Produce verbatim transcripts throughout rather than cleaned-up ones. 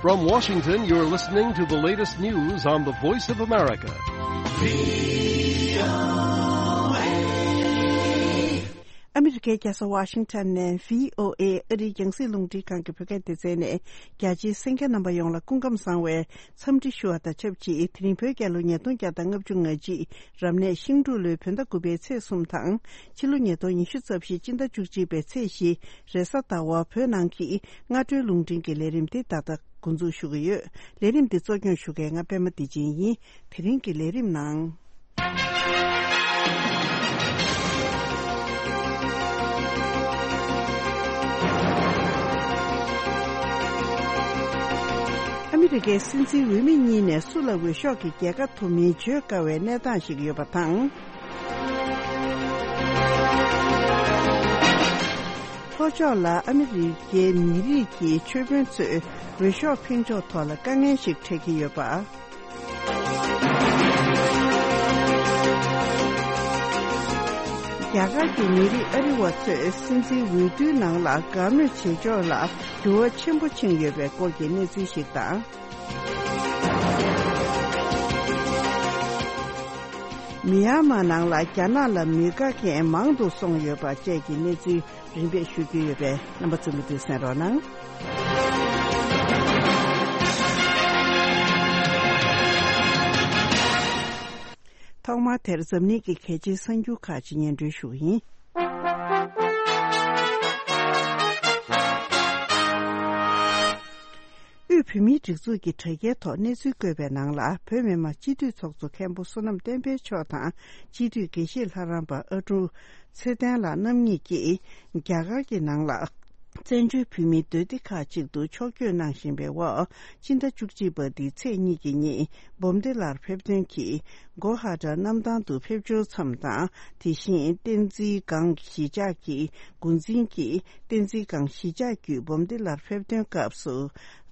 From Washington, you're listening to the latest news on the Voice of America. ཨ་མི་རི་ཀའི་རྒྱལ་ས་ཝ་ཤིང་ཊོན་ནས་བྷི་ཨོ་ཨེ་ཨ་རིའི་རྒྱང་སྲིང་རླུང་འཕྲིན་ཁང་གི་བོད་སྐད་སྡེ་ཚན་ནས། རྒྱ་ཆེའི་གསན་མཁན་རྣམ་པ་ཡོངས་ལ་སྐུ་ཁམས་བཟང་བའི་འཚམས་འདྲི་ཞུ་བ་དང་ཆབས་ཅིག་དེ་རིང་བོད་རྒྱལ་ལོ་ཉིས་སྟོང་བརྒྱ་དང་ལྔ་བཅུ་ང་གཅིག་རབ་གནས་ཤིང་འབྲུག་ལོའི་བོད་ཟླ་དགུ་པའི་ཚེས་གསུམ་དང་། ཕྱི་ལོ་ཉིས་སྟོང་ཉི་ཤུ་རྩ་བཞི་སྤྱི་ཟླ་བཅུ་གཅིག་པའི་ཚེས་བཞི་རེས་གཟའ་ཟླ་བ། བོད་ནང་གི་སྔ་དྲོའི་རླུང་འཕྲིན་གྱི་ལས་རིམ་འདི་ད་ལྟ་འགོ་འཛུགས་ཞུ་གི་ཡོད། ལས་རིམ་འདི་གཙོ་སྐྱོང་ཞུ་མཁན་ང་པད་མ་བདེ་ཆེན་ཡིན། དེ་རིང་གི་ལས་རིམ་ནང་། ཨ་མི་རི་ཀའི་སྲིད་འཛིན་འོས་མི་གཉིས་ནས་སུ་ལ་འོས་ཤོག་གི་རྒྱལ་ཁ་ཐོབ་མིན་བརྗོད་དཀའ་བའི་གནས་སྟངས་ཤིག་ཡོད་པ་དང་། ལྷོ་ཕྱོགས་ལ་ཨ་མི་རི་ཀའི་མི་རིགས་ཀྱི་ཆོས་དཔོན་ཚོས་འོས་ཤོག་འཕེན་ཕྱོགས་ཐོག་ལ་དཀའ་ངལ་ཞིག་འཕྲད་ཀྱི་ཡོད་པ། རྒྱ་གར་གྱི་མི་རིགས་ཨ་རི་བ་ཚོས་སྲིད་འཛིན་འོས་བསྡུའི་ནང་ལ་དགའ་མོས་བྱེད་ཕྱོགས་ལ་འགྱུར་བ་ཆེན་པོ་ཕྱིན་ཡོད་པའི་སྐོར་གྱི་གནས་ཚུལ་ཞིག་དང་། མི་ཡན་མར་ནང་ལ་རྒྱ་ནག་ལ་མི་དགའ་མཁན་མང་དུ་སོང་ཡོད་པ་བཅས་ཀྱི་གནས་ཚུལ་རིམ་པས་ཞུ་རྒྱུ་ཡོད་པས། རྣམ་པ་ཚོས་མུ་མཐུད་གསན་རོགས་གནང་། ཐོག་མར་དེར་འཛམ་གླིང་གི་གལ་ཆེའི་གསར་འགྱུར་ཁག་ཅིག་སྙན་སྒྲོན་ཞུ་གི་ཡིན། དབུས་བོད་མིའི་སྒྲིག་འཛུགས་ཀྱི་དྲ་རྒྱའི་ཐོག་གནས་ཚུལ་བཀོད་པའི་ནང་ལ། བོད་མི་མང་སྤྱི་འཐུས་ཚོགས་གཙོ་མཁན་པོ་བསོད་ནམས་བསྟན་འཕེལ་མཆོག་དང་། སྤྱི་འཐུས་དགེ་བཤེས་ལྷ་རམས་པ་ཨ་ཀྲུག་ཚེ་བརྟན་ལགས་རྣམ་གཉིས་ཀྱིས། རྒྱ་གར་གྱི་ནང་ལ། བཙན་བྱོལ་བོད་མིའི་སྡོད་སྡེ་ཁག་ཅིག་ཏུ་ཕྱོགས་བསྐྱོད་གནང་བཞིན་པའི་འོག་སྤྱི་ཟླ་བཅུ་གཅིག་པ་འདིའི་ཚེས་གཉིས་ཀྱི་ཉིན་འབུམ་སྡེ་ལར་ཕེབས་ཐོན་གྱིས། གོ་ཧ་ཊ་གནམ་ཐང་དུ་ཕེབས་འབྱོར་མཚམས་དང་། དེ་བཞིན་བསྟན་འཛིན་སྒང་གཞིས་ཆགས་ཀྱི་འགོ་འཛིན་གྱིས་བསྟན་འཛིན་སྒང་གཞིས་ཆགས་བརྒྱུད་འབུམ་སྡེ་ལར་ཕེབས་ཐོན་སྐབས་སུ་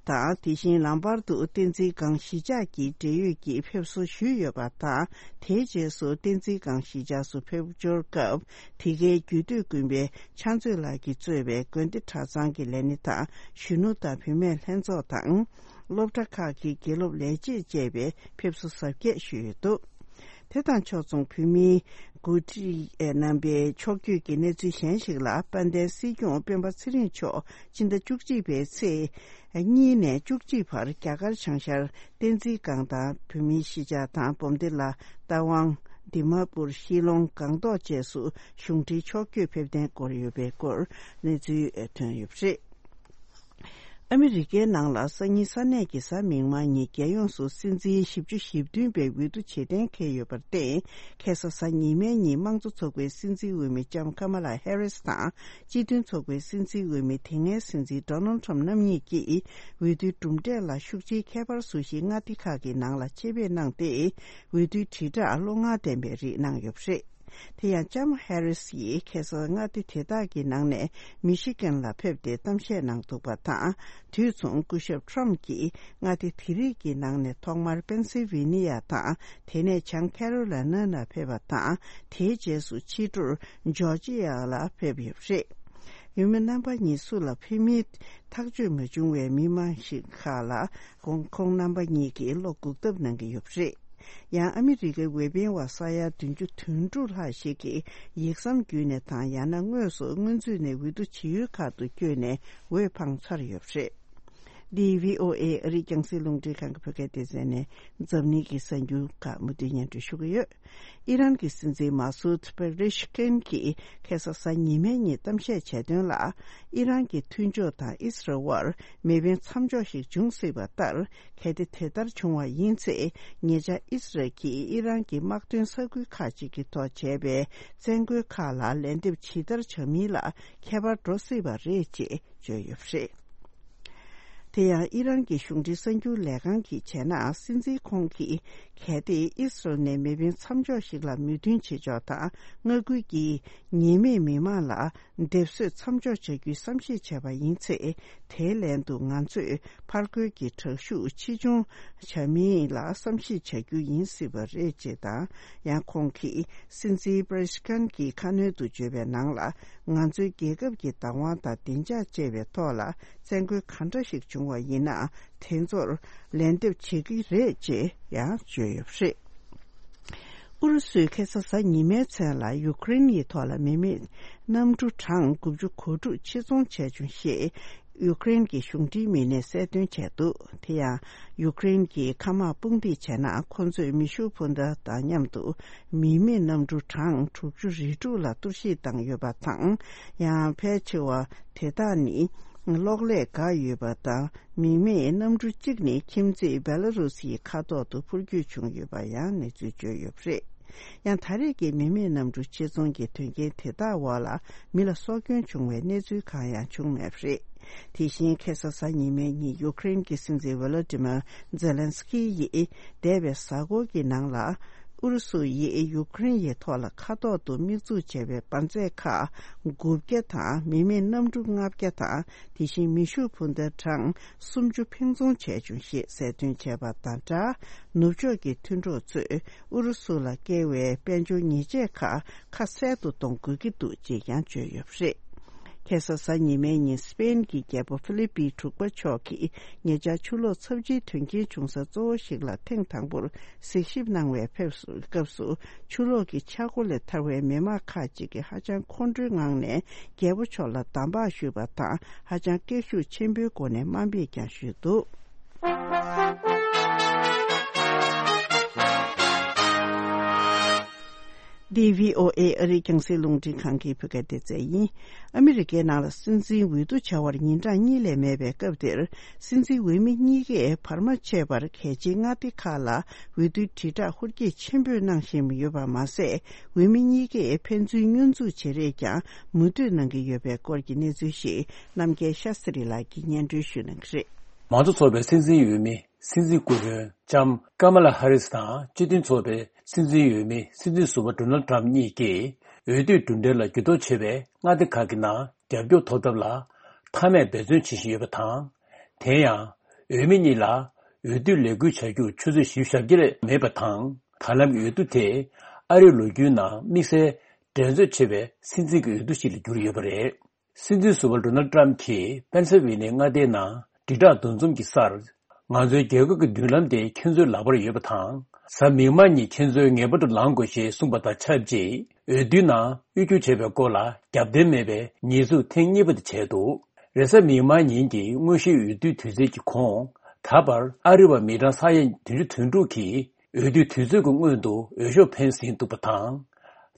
དང་། དེ་བཞིན་ལམ་བར་དུ་བསྟན་འཛིན་སྒང་གཞིས་ཆགས་ཀྱི་འབྲེལ་ཡོད་ཀྱིས་ཕེབས་བསུ་ཞུས་ཡོད་པ་དང་། དེའི་རྗེས་སུ་བསྟན་འཛིན་སྒང་གཞིས་ཆགས་སུ་ཕེབས་འབྱོར་སྐབས། དེ་གའི་རྒྱུད་སྟོད་དགོན་པའི་ཕྱག་མཛོད་ལགས་ཀྱིས་གཙོས་པའི་དགོན་སྡེ་གྲྭ་ཚང་གི་ལས་སྣེ་དང་། གཞོན་ནུ་དང་བུད་མེད་ལྷན་ཚོགས་དང་། སློབ་གྲྭ་ཁག་གི་དགེ་སློབ་ལས་བྱེད་བཅས་པས་ཕེབས་བསུ་གཟབ་རྒྱས་ཞུས་ཡོད་འདུག་དེ་དང་ཕྱོགས་མཚུངས། བོད་མིའི་འགོ་ཁྲིད་རྣམ་པའི་ཕྱོགས་བསྐྱོད་ཀྱི་གནས་ཚུལ་གཞན་ཞིག་ལ། དཔལ་ལྡན་སྲིད་སྐྱོང་སྤེན་པ་ཚེ་རིང་མཆོག་སྤྱི་ཟླ་བཅུ་གཅིག་པའི་ཚེས་གཉིས་ནས་བཅུ་གཅིག་བར་རྒྱ་གར་བྱང་ཤར་བསྟན་འཛིན་སྒང་དང་། བོད་མིའི་གཞིས་ཆགས་དང་། འབུམ་སྡེ་ལ། རྟ་དབང་། དི་མ་པུར། ཤི་ལོང་། སྒང་ཏོག་བཅས་སུ་གཞུང་འབྲེལ་ཕྱོགས་བསྐྱོད་ཕེབས་གཏན་བསྐོར་ཡོད་པའི་སྐོར་གནས་ཚུལ་ཐོན་ཡོད་པ་རེད། ཨ་མི་རི་ཀའི་ནང་ལ་སང་ཉིན་ས་གནས་ཀྱི་གཟའ་མིག་དམར་ཉིན། རྒྱལ་ཡོངས་སུ་སྲིད་འཛིན་བཞི་བཅུ་ཞེ་བདུན་པའི་འོས་བསྡུ་བྱེད་གཏན་འཁེལ་ཡོད་པར་བརྟེན། ཁ་སང་གཟའ་ཉི་མའི་ཉིན་དམངས་གཙོ་ཚོགས་པའི་སྲིད་འཛིན་འོས་མི་ལྕམ་ཀ་མ་ལ་ཧེ་རིས་དང་། སྤྱི་མཐུན་ཚོགས་པའི་སྲིད་འཛིན་འོས་མི་དེ་སྔའི་སྲིད་འཛིན་ཌོ་ནལ་ཊམ་རྣམ་གཉིས་ཀྱིས་འོས་བསྡུའི་གྲུབ་འབྲས་ལ་ཤུགས་ཆེའི་ཁྱད་པར་བཟོ་གཞིའི་མངའ་སྡེ་ཁག་གི་ནང་ལ་ཆེད་ཕེབས་གནང་སྟེ། འོས་བསྡུའི་དྲིལ་བསྒྲགས་བློ་མངའ་ལྡན་པའི་རིགས་གནང་ཡོད་པ་རེད། དེ་ཡང་ལྕམ་ཧེ་རིས་ཡིས་ཁ་སང་མངའ་སྡེ་དེ་དག་གི་ནང་ནས་མི་ཤི་གན་ལ་ཕེབས་ཏེ་གཏམ་བཤད་གནང་འདུག་པ་དང་། དུས་མཚུངས་སྐུ་ཞབས་ཊམ་གྱིས་མངའ་སྡེ་དེ་རིགས་ཀྱི་ནང་ནས་ཐོག་མར་པེན་སིལ་ཝེ་ནི་ཡ་དང་། དེ་ནས་བྱང་ཁེ་རོ་ལི་ན་ལ་ཕེབས་པ་དང་། དེའི་རྗེས་སུ་ཕྱི་དྲོར་ཇོར་ཇི་ཡ་ལ་ཕེབས་ཡོད་པ་རེད། འོས་མི་རྣམ་པ་གཉིས་སུ་ལ་ཕེབས་མིན་ཐག་གཅོད་མ་བྱུང་བའི་མི་མང་ཞིག་ཁག་ལ། ཁོང་ཁོང་རྣམ་པ་གཉིས་ཀྱིས་བློ་འགུག་ཐབས་གནང་གི་ཡོད་པ་རེད། ཡང་ཨ་མི་རི་ཀའི་འོས་འཕེན་བ་ས་ཡ་བདུན་ཅུ་དོན་དྲུག་ལྷག་ཞིག་གིས་ཡིག་ཟམ་བརྒྱུད་ནས་དང་། ཡང་ན་དངོས་སུ་སྔོན་ཚུད་ནས་འོས་བསྡུ་བྱེད་ཡུལ་ཁག་ཏུ་བསྐྱོད་ནས་འོས་འཕངས་ཚར་ཡོད་པ་རེད། འདི་བྷི་ཨོ་ཨེ་ཨ་རིའི་རྒྱང་སྲིང་རླུང་འཕྲིན་ཁང་གི་བོད་སྐད་སྡེ་ཚན་ནས་འཛམ་གླིང་གི་གསར་འགྱུར་ཁག་མུ་མཐུད་སྙན་སྒྲོན་ཞུ་གི་ཡོད། ཨི་རན་གྱི་སྲིད་འཛིན་མ་སུད་པེ་རེ་ཤི་ཀན་གྱིས་ཁ་སང་གཟའ་ཉི་མའི་ཉིན་གཏམ་བཤད་བྱས་དོན་ལ། ཨི་རན་གྱི་མཐུན་ཕྱོགས་དང་ཨི་སི་རལ་དབར་མེ་འཕེན་མཚམས་འཇོག་ཞིག་འབྱུང་སྲིད་པ་ལྟར། གལ་ཏེ་དེ་ལྟར་བྱུང་བ་ཡིན་ཚེ། ཉེ་ཆར་ཨི་སི་རལ་གྱིས་ཨི་རན་གྱི་དམག་དོན་ས་ཁུལ་ཁག་ཅིག་གི་ཐོག་བྱས་པའི་བཙན་རྒོལ་ཁག་ལ་ལན་འདེབས་ཇི་ལྟར་བྱ་མིན་ལ་ཁྱད་པར་འགྲོ་སྲིད་པ་རེད་ཅེས་བརྗོད་ཡོད་པ་རེད། དེ་ཡང་ཨི་རན་གྱི་གཞུང་འབྲེལ་གསར་འགྱུར་ལས་ཁང་གིས་བྱས་ན། སྲིད་འཛིན་ཁོང་གིས་གལ་ཏེ་ཨི་སི་རལ་ནས་མེ་འཕེན་མཚམས་འཇོག་ཞིག་ལ་མོས་མཐུན་བྱེད་ཕྱོགས་དང་། མངའ་ཁུལ་གྱི་ཉེས་མེད་མི་མང་ལ་སྡེབ་གསོད་མཚམས་འཇོག་བྱ་རྒྱུའི་བསམ་ཤེས་བྱས་པ་ཡིན་ཚེ། དེའི་ལན་དུ་ང་ཚོས་ཕར་རྒོལ་གྱི་དྲག་ཤུགས་ཆེ་ཆུང་བྱ་མིན་ལ་བསམ་ཤེས་བྱ་རྒྱུ་ཡིན་སྲིད་པ་རེད་ཅེས་དང་། ཡང་ཁོང་གིས་སྲིད་འཛིན་པེ་རེ་ཤི་ཀན་གྱི་ཁ་སྣོན་དུ་བརྗོད་པའི་ནང་ལ། ང་ཚོའི་རྒྱལ་ཁབ་ཀྱི་བདག་དབང་དང་བདེ་འཇགས་བཅས་པའི་ཐོག་ལ་བཙན་རྒོལ་གང་འདྲ་ཞིག་བྱུང་། བྱུང་བ་ཡིན་ན་དེ་ཚོར་ལན་འདེབས་བྱེད་ཀྱི་རེད་ཅེས་ཡང་བརྗོད་ཡོད་པ་རེད། ཨུ་རུ་སུས་ཁ་སང་གཟའ་ཉི་མའི་མཚན་ལ་ཡུ་ཀེ་རེན་གྱི་ཐོག་ལ་མི་མེད་གནམ་གྲུ་གྲངས་དགུ་བཅུ་གོ་དྲུག་ཕྱིར་ཚོང་བྱས་བྱུང་ཞེས་ཡུ་ཀེ་རེན་གྱི་གཞུང་འབྲེལ་མི་སྣས་གསལ་སྟོན་བྱས་འདུག་དེ་ཡང་ཡུ་ཀེ་རེན་གྱི་མཁའ་དམག་དཔུང་སྡེས་བྱས་ན་ཁོ་ཚོས་མེ་ཤུགས་འཕུར་མདའ་དང་མཉམ་དུ་མི་མེད་གནམ་གྲུ་གྲངས་དྲུག་ཅུ་རེ་དྲུག་ལ་གཏོར་བཤིག་བཏང་ཡོད་པ་དང་། ཡང་ཕལ་ཆེ་བ་དེ་དག་ནི་གློག་ཀླད་འགག་ཡོད་པ་དང་། མི་མེད་གནམ་གྲུ་གཅིག་ནི་ཁྱིམ་མཚེས་བེ་ལ་རུ་སིའི་མཁའ་ཐོག་ཏུ་འཕུར་སྐྱོད་བྱུང་ཡོད་པ་ཡང་གནས་ཚུལ་བརྗོད་ཡོད་པ་རེད། ཡང་ད་རེས་ཀྱི་མི་མེད་གནམ་གྲུ་ཕྱིར་ཚོང་གི་དོན་རྐྱེན་དེ་དག་འོག་ལ་མི་ལ་སྲོག་སྐྱོན་བྱུང་བའི་གནས་ཚུལ་གང་ཡང་བྱུང་མེད་པ་རེད། དེ་བཞིན་ཁ་སང་གཟའ་ཉི་མའི་ཉིན་ཡུ་ཀེ་རེན་གྱི་སྲིད་འཛིན་ཝོ་ལོ་ཏི་མར་ཛེ་ལན་སི་ཀི་ཡིས་འདས་པའི་གཟའ་འཁོར་གྱི་ནང་ལ་ཨུ་རུ་སུ་ཡིས་ཡུ་ཀེ་རེན་ཡི་ཐོག་ལ་མཁའ་ཐོག་ཏུ་དམིགས་འཛུགས་བྱས་པའི་འབར་རྫས་ཁག་དགུ་བརྒྱ་དང་མི་མེད་གནམ་གྲུ་ལྔ་བརྒྱ་དང་། དེ་བཞིན་མེ་ཤུགས་འཕུར་མདའ་གྲངས་སུམ་ཅུ་འཕེན་རྫོང་བྱས་བྱུང་ཞེས་གསལ་སྟོན་བྱས་པ་དང་སྦྲགས། ནུབ་ཕྱོགས་ཀྱི་མཐུན་གྲོགས་ཚོས་ཨུ་རུ་སུ་ལ་བཀལ་བའི་དཔལ་འབྱོར་ཉེས་ཆད་ཁག་ཁ་གསལ་དུ་གཏོང་དགོས་ཀྱི་འདུག་ཅེས་ཀྱང་བརྗོད་ཡོད་པ་རེད། ཁ་སང་གཟའ་ཉི་མའི་ཉིན་སི་པེན་གྱི་རྒྱལ་པོ་ཧྥི་ལི་པི་དྲུག་པ་མཆོག་གིས་ཉེ་ཆར་ཆུ་ལོག་ཚབས་ཆེའི་དོན་རྐྱེན་བྱུང་ས་གཙོ་བོ་ཞིག་ལ་ཐེངས་དང་པོར་གཟིགས་ཞིབ་གནང་བའི་ཕེབས་སུ་སྐབས་སུ། ཆུ་ལོག་གི་ཆག་སྒོ་ལས་ཐར་བའི་མི་མང་ཁག་ཅིག་གིས་ཧ་ཅང་ཁོང་ཁྲོའི་ངང་ནས་རྒྱལ་པོ་མཆོག་ལ་འདམ་བག་ཞུས་པ་དང་། ཧ་ཅང་སྐད་ཤུགས་ཆེན་པོའི་སྒོ་ནས་དམའ་འབེབས་ཀྱང་ཞུས་འདུག་འདི་བྷི་ཨོ་ཨེ་ཨ་རིའི་རྒྱང་སྲིང་རླུང་འཕྲིན་ཁང་གི་བོད་སྐད་སྡེ་ཚན་ཡིན། ཨ་མི་རི་ཀའི་ནང་ལ་སྲིད་འཛིན་འོས་བསྡུ་བྱ་བར་ཉིན་གྲངས་གཉིས་ལས་མེད་པའི་སྐབས་འདིར། སྲིད་འཛིན་འོས་མི་གཉིས་ཀས་བར་མ་ཆད་པར་གལ་ཆེའི་མངའ་སྡེ་ཁག་ལ་འོས་བསྡུའི་དྲིལ་བསྒྲགས་ཧུར་སྐྱེད་ཆེན་པོས་གནང་བཞིན་ཡོད་པ་མ་ཟད། འོས་མི་གཉིས་ཀས་ཕན་ཚུན་བསྙོན་འཛུགས་བྱེད་རེས་ཀྱང་མུ་མཐུད་གནང་གི་ཡོད་པའི་སྐོར་གྱི་གནས་ཚུལ་ཞིག་རྣམ་རྒྱལ་ཤཱ་སི་རི་ལགས་ཀྱིས་སྙན་སྒྲོན་ཞུ་གནང་གི་རེད། མང་གཙོ་ཚོགས་པའི་སྲིད་འཛིན་འོས་མི་སྲིད་འཛིན་སྐུ་གཞོན་ལྕམ་ཀ་མ་ལ་ཧ་རིས་དང་སྤྱི་མཐུན་ཚོགས་པའི་སྲིད་འཛིན་འོས་མི་སྲིད་འཛིན་ཟུར་པ་ཌོ་ནལ་ཊམ་གཉིས་ཀྱིས་འོས་བསྡུའི་གྲུབ་འབྲས་ལ་འགྱུར་ལྡོག་ཆེ་བའི་མངའ་སྡེ་ཁག་གི་ནང་རྒྱབ་སྐྱོར་ཐོབ་ཐབས་ལ་མཐའ་མའི་འབད་བརྩོན་བྱེད་བཞིན་ཡོད་པ་དང་། དེ་ཡང་འོས་མི་གཉིས་ལ་འོས་བསྡུའི་ལས་འགུལ་བྱ་རྒྱུར་ཆུ་ཚོད་བཞི་བཅུ་ཞེ་བརྒྱད་ལས་མེད་པ་དང་། ད་ལམ་གྱི་འོས་བསྡུ་དེ་ཨ་རིའི་ལོ་རྒྱུས་ནང་དམིགས་བསལ་འགྲན་རྩོད་ཆེ་བའི་སྲིད་འཛིན་གྱི་འོས་བསྡུ་ཞིག་ལ་གྱུར་ཡོད་པ་རེད། སྲིད་འཛིན་ཟུར་པ་ཌོ་ནལ་ཊམ་གྱིས་པེན་སིལ་ཝེ་ནི་ཡ་མངའ་སྡེའི་ནང་དྲིལ་བསྒྲགས་འདུ་འཛོམས་ཀྱི་སར། ང་ཚོའི་རྒྱལ་ཁབ་ཀྱི་མདུན་ལམ་དེ་ཁྱེད་ཚོའི་ལག་པར་ཡོད་པ་དང་། གཟའ་མིག་དམར་ཉིན་ཁྱེད་ཚོས་ངེས་པར་དུ་ལངས་དགོས་ཞེས་གསུངས་པ་དང་ཆབས་ཅིག་འོས་བསྡུའི་ནང་དབུས་སྒྱུར་བྱས་པའི་སྐོར་ལ་རྒྱབ་རྟེན་མེད་པའི་ཉེས་འཛུགས་ཐེངས་གཉིས་པ་དེ་བྱས་འདུག་རེས་གཟའ་མིག་དམར་ཉིན་གྱི་དངོས་གཞིའི་འོས་བསྡུའི་དུས་ཚོད་ཀྱི་གོང་། ད་བར་ཨ་རི་བ་མི་གྲངས་ས་ཡ་བདུན་ཅུ་དོན་དྲུག་གིས་འོས་བསྡུའི་དུས་ཚོད་ཀྱི་སྔོན་དུ་འོས་ཤོག་འཕེན་ཟིན་འདུག་པ་དང་།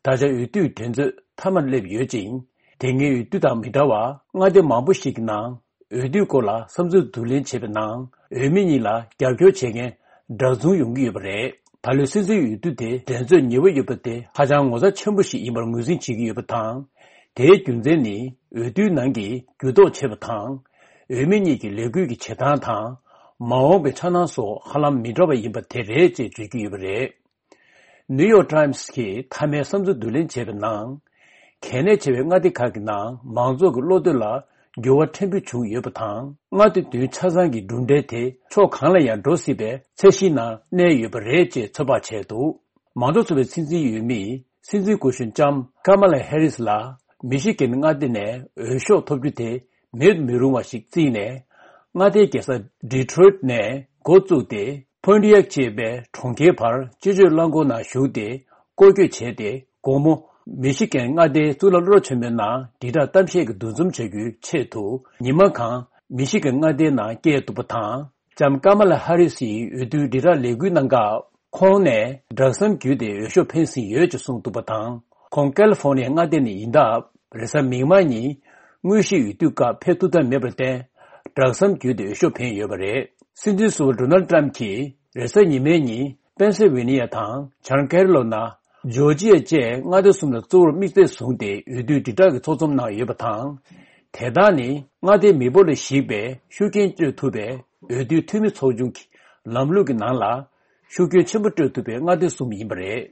ད་ཆ་འོས་བསྡུའི་འགྲན་རྩོད་མཐའ་མར་སླེབས་ཡོད་ཅིང་། དེ་སྔའི་འོས་བསྡུ་དང་མི་འདྲ་བར་མངའ་སྡེ་མང་པོ་ཞིག་གི་ནང་འོས་བསྡུའི་སྐོར་ལ་བསམ་ཚུལ་བསྡུ་ལེན་བྱེད་པའི་ནང་འོས་མི་གཉིས་ལ་རྒྱབ་སྐྱོར་བྱེད་མཁན་འདྲ་མཚུངས་ཡོང་གི་ཡོད་པ་རེད། ད་ལོའི་སྲིད་འཛིན་འོས་བསྡུ་དེ་འགྲན་རྩོད་ཉེ་བོ་ཡོད་པ་དེ་ཧ་ཅང་ངོ་མཚར་ཆེན་པོ་ཞིག་ཡིན་པར་ངོས་འཛིན་བྱེད་ཀྱི་ཡོད་པ་དང་། དེའི་རྒྱུ་མཚན་ནི་འོས་བསྡུའི་ནང་གི་འགྱུར་ལྡོག་ཆེ་བ་དང་། འོས་མི་གཉིས་ཀྱི་ལས་འགུལ་གྱི་བྱེད་སྟངས་དང་། མ་འོངས་པའི་འཆར་སྣང་སོགས་ཧ་ལམ་མི་འདྲ་བ་ཡིན་པ་དེ་རེད་ཅེས་བརྗོད་ཀྱི་ཡོད་པ་རེད། ནིའུ་ཡོག་ཊའིམ་སི་གིས་མཐའ་མའི་བསམ་ཚུལ་བསྡུ་ལེན་བྱས་པའི་ནང་། གལ་གནད་ཆེ་བའི་མངའ་སྡེ་ཁག་གི་ནང་མང་ཚོགས་ཀྱི་བློ་འདོད་ལ་འགྱུར་བ་ཕྲན་བུ་བྱུང་ཡོད་པ་དང་། མངའ་སྡེ་བདུན་ཆ་ཚང་གི་གྲུབ་འབྲས་དེ་ཕྱོགས་གང་ལ་ཡང་འགྲོ་སྲིད་པའི་ཚད་གཞིའི་ནང་གནས་ཡོད་པ་རེད་ཅེས་ཚོད་དཔག་བྱས་འདུག་མང་གཙོ་ཚོགས་པའི་སྲིད་འཛིན་འོས་མི་སྲིད་འཛིན་སྐུ་གཞོན་ལྕམ་ཀ་མ་ལ་ཧེ་རིས་ལ་མི་ཤི་གན་མངའ་སྡེ་ནས་འོས་ཤོག་ཐོབ་རྒྱུ་དེ་མེད་མི་རུང་བ་ཞིག་བརྩིས་ནས། མངའ་སྡེའི་རྒྱལ་ས་ཌི་ཊོ་རོའིཊ་ནས་འགོ་བཙུགས་ཏེ། ཕོན་ཊི་ཡག་ཅེས་པའི་གྲོང་ཁྱེར་བར་སྤྱི་སྤྱོད་རླངས་འཁོར་ནང་ཞུགས་ཏེ་སྐོར་སྐྱོད་བྱས་ཏེ། དགོང་མོ་མི་ཤི་གན་མངའ་སྡེའི་གཙུག་ལག་སློབ་གྲྭ་ཆེན་མོའི་ནང་དྲིལ་བསྒྲགས་གཏམ་བཤད་ཀྱི་འདུ་འཛོམས་བྱ་རྒྱུའི་ཆེད་དུ། ཉི་མ་གང་མི་ཤི་གན་མངའ་སྡེའི་ནང་བསྐྱལ་འདུག་པ་དང་། ལྕམ་ཀ་མ་ལ་ཧ་རི་སིའི་འོས་བསྡུའི་དྲིལ་བསྒྲགས་ལས་འགུལ་གནང་སྐབས། ཁོང་ནས་སྦྲག་མཚམས་བརྒྱུད་དེ་འོས་ཤོག་འཕེན་ཟིན་ཡོད་ཅེས་གསུངས་འདུག་པ་དང་། ཁོང་ཀ་ལི་ཧྥོར་ནི་ཡ་མངའ་སྡེ་ནས་ཡིན་སྟབས། རེས་གཟའ་མིག་དམར་ཉིན་དངོས་གཞིའི་འོས་བསྡུ་སྐབས་ཕེབས་ཐུབ་ཐབས་མེད་པར་བརྟེན། སྦྲག་མཚམས་བརྒྱུད་དེ་འོས་ཤོག་འཕེན་ཡོད་པ་རེད། སྲིད་འཛིན་ཟུར་པ་ཌོ་ནལ་ཊམ་གྱིས་རེས་གཟའ་ཉི་མའི་ཉིན་པེན་སིལ་ཝེ་ནི་ཡ་དང་བྱང་ཀེ་རོ་ལི་ན། ཇོར་ཇི་ཡ་བཅས་མངའ་སྡེ་གསུམ་ལ་གཙོ་བོར་དམིགས་བསལ་བཟུང་སྟེ་འོས་བསྡུའི་དྲིལ་བསྒྲགས་ཀྱི་ཚོགས་འཛོམས་གནང་ཡོད་པ་དང་། དེ་དག་ནི་མངའ་སྡེའི་མི་འབོར་ལ་གཞིགས་པའི་ཤུགས་རྐྱེན་སྤྲོད་ཐུབ་པའི་འོས་བསྡུའི་འཐུས་མི་ཚོགས་ཆུང་གི་ལམ་ལུགས་ཀྱི་ནང་ལ། ཤུགས་རྐྱེན་ཆེན་པོ་སྤྲོད་ཐུབ་པའི་མངའ་སྡེ་གསུམ་ཡིན་པ་རེད།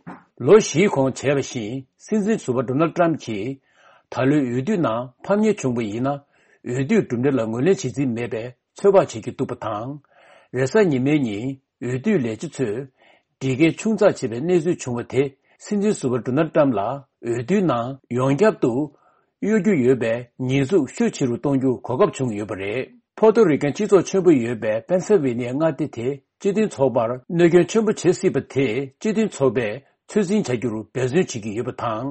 ལོ་བཞིའི་གོང་བྱས་པ་བཞིན། སྲིད་འཛིན་ཟུར་པ་ཌོ་ནལ་ཊམ་གྱིས་ད་ལོའི་འོས་བསྡུ་ནང་ཕམ་ཉེས་བྱུང་བ་ཡིན་ན། འོས་བསྡུའི་གྲུབ་འབྲས་ལ་ངོས་ལེན་བྱེད་རྩིས་མེད་པའི་ཚོད་དཔག་བྱེད་ཀྱི་འདུག་པ་དང་། རེས་གཟའ་ཉི་མའི་ཉིན་འོས་བསྡུའི་ལས་བྱེད་ཚོས་སྒྲིག་འགལ་ཆུང་ཙག་བྱས་པའི་གནས་ཚུལ་བྱུང་བ་དེ། སྲིད་འཛིན་ཟུར་པ་ཌོ་ནལ་ཊམ་ལ་འོས་བསྡུའི་ནང་ཡོངས་ཁྱབ་ཏུ་གཡོ་སྒྱུ་ཡོད་པའི་ཉེས་འཛུགས་ཤུགས་ཆེ་རུ་གཏོང་རྒྱུར་གོ་སྐབས་བྱུང་ཡོད་པ་རེད། ཕོ་ཏོ་རི་ཀན་སྤྱི་ཚོགས་ཆེན་པོ་ཡོད་པའི་པེན་སིལ་ཝེ་ནི་ཡ་མངའ་སྡེ་དེ་སྤྱི་མཐུན་ཚོགས་པར་གནོད་སྐྱོན་ཆེན་པོ་བྱེད་སྲིད་པ་དེ་སྤྱི་མཐུན་ཚོགས་པས་ཚོད་འཛིན་བྱ་རྒྱུར་འབད་བརྩོན་བྱེད་ཀྱི་ཡོད་པ་དང་།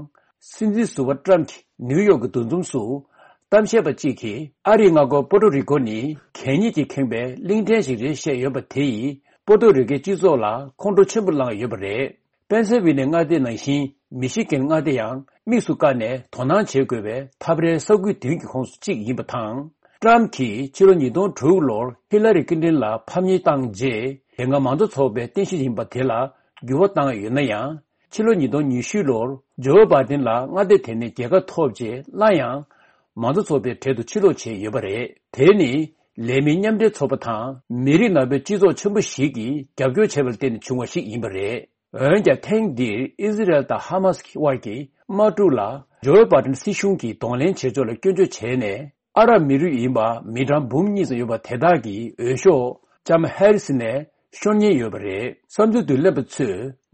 སྲིད་འཛིན་ཟུར་པ་ཏྲམ་གྱིས་ནིའུ་ཡོག་གི་འདུ་འཛོམས་སུ་གཏམ་བཤད་པ་གཅིག་གིས་ཨ་རིའི་མངའ་ཁོངས་པོ་ཏོ་རི་ཀོ་ནི་གད་སྙིགས་ཀྱིས་ཁེངས་པའི་གླིང་ཕྲན་ཞིག་རེད་བཤད་ཡོད་པ་དེ་ཡིས་པོ་ཏོ་རི་ཀོའི་སྤྱི་ཚོགས་ལ་ཁོང་ཁྲོ་ཆེན་པོ་ལངས་ཡོད་པ་རེད། པེན་སིལ་ཝེ་ནི་ཡ་མངའ་སྡེ་ནང་བཞིན་མི་ཤི་གན་མངའ་སྡེ་ཡང་དམིགས་སུ་བཀར་ནས་དོ་སྣང་བྱེད་དགོས་པའི་འཐབ་རའི་ས་ཁུལ་བདུན་གྱི་ཁོངས་སུ་གཅིག་ཡིན་པ་དང་། ཏྲམ་གྱིས་ཕྱི་ལོ་ཉིས་སྟོང་དྲུག་ལོར་ཧི་ལ་རི་ཀིན་ཏིན་ལ་ཕམ་ཉེས་བཏང་རྗེས་དེ་སྔ་མང་གཙོ་ཚོགས་པའི་རྟེན་གཞི་ཡིན་པ་དེ་ལ་འགྱུར་བ་བཏང་ཡོད་ན་ཡང་། ཕྱི་ལོ་ཉིས་སྟོང་ཉི་ཤུ་ལོར་ཇོ་བྷའི་ཌེན་ལ་མངའ་སྡེ་དེ་ནས་རྒྱལ་ཁ་ཐོབ་རྗེས་སླར་ཡང་མང་གཙོ་ཚོགས་པའི་གྲལ་དུ་ཕྱིར་ལོག་བྱས་ཡོད་པ་རེད། དེ་ནི་ལས་མི་མཉམ་འབྲེལ་ཚོགས་པ་དང་མི་རིགས་ནག་པོའི་སྤྱི་ཚོགས་ཆེན་པོ་ཞིག་གིས་རྒྱབ་སྐྱོར་བྱས་པར་བརྟེན་ནས་བྱུང་བ་ཞིག་ཡིན་པ་རེད། འོན་ཀྱང་ཐེངས་འདིར་ཨི་ཟི་རལ་དང་ཧ་མ་སི་དབར་གྱི་དམག་འཁྲུག་ལ་ཇོ་བྷའི་ཌེན་སྲིད་གཞུང་གིས་གདོང་ལེན་བྱེད་ཕྱོགས་ལ་སྐྱོན་བརྗོད་བྱས་ནས། ཨ་རབ་མི་རིགས་ཡིན་པ་མི་གྲངས་འབུམ་གཉིས་ཙམ་ཡོད་པ་དེ་དག་གི་འོས་ཤོག་ལྕམ་ཧེ་རི་སི་ནས་ཤོར་ཉེན་ཡོད་པ་རེད། བསམ་ཚུལ་བསྡུ་ལེན་པ་ཚོས་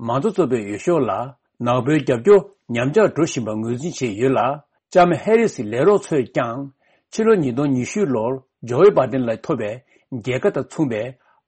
མང་གཙོ་ཚོགས་པའི་འོས་ཤོག་ལ་ནག་པོའི་རྒྱབ་སྐྱོར་ཉམས་ཆག་འགྲོ་བཞིན་པ་ངོས་འཛིན་བྱས་ཡོད་ལ། ལྕམ་ཧེ་རི་སི་ལས་རོགས་ཚོས་ཀྱང་ཕྱི་ལོ་ཉིས་སྟོང་ཉི་ཤུ་ལོར་ཇོ་བྷའི་ཌེན་ལ་ཐོབ་པའི་རྒྱལ་ཁ་དང་མཚུངས་པའི་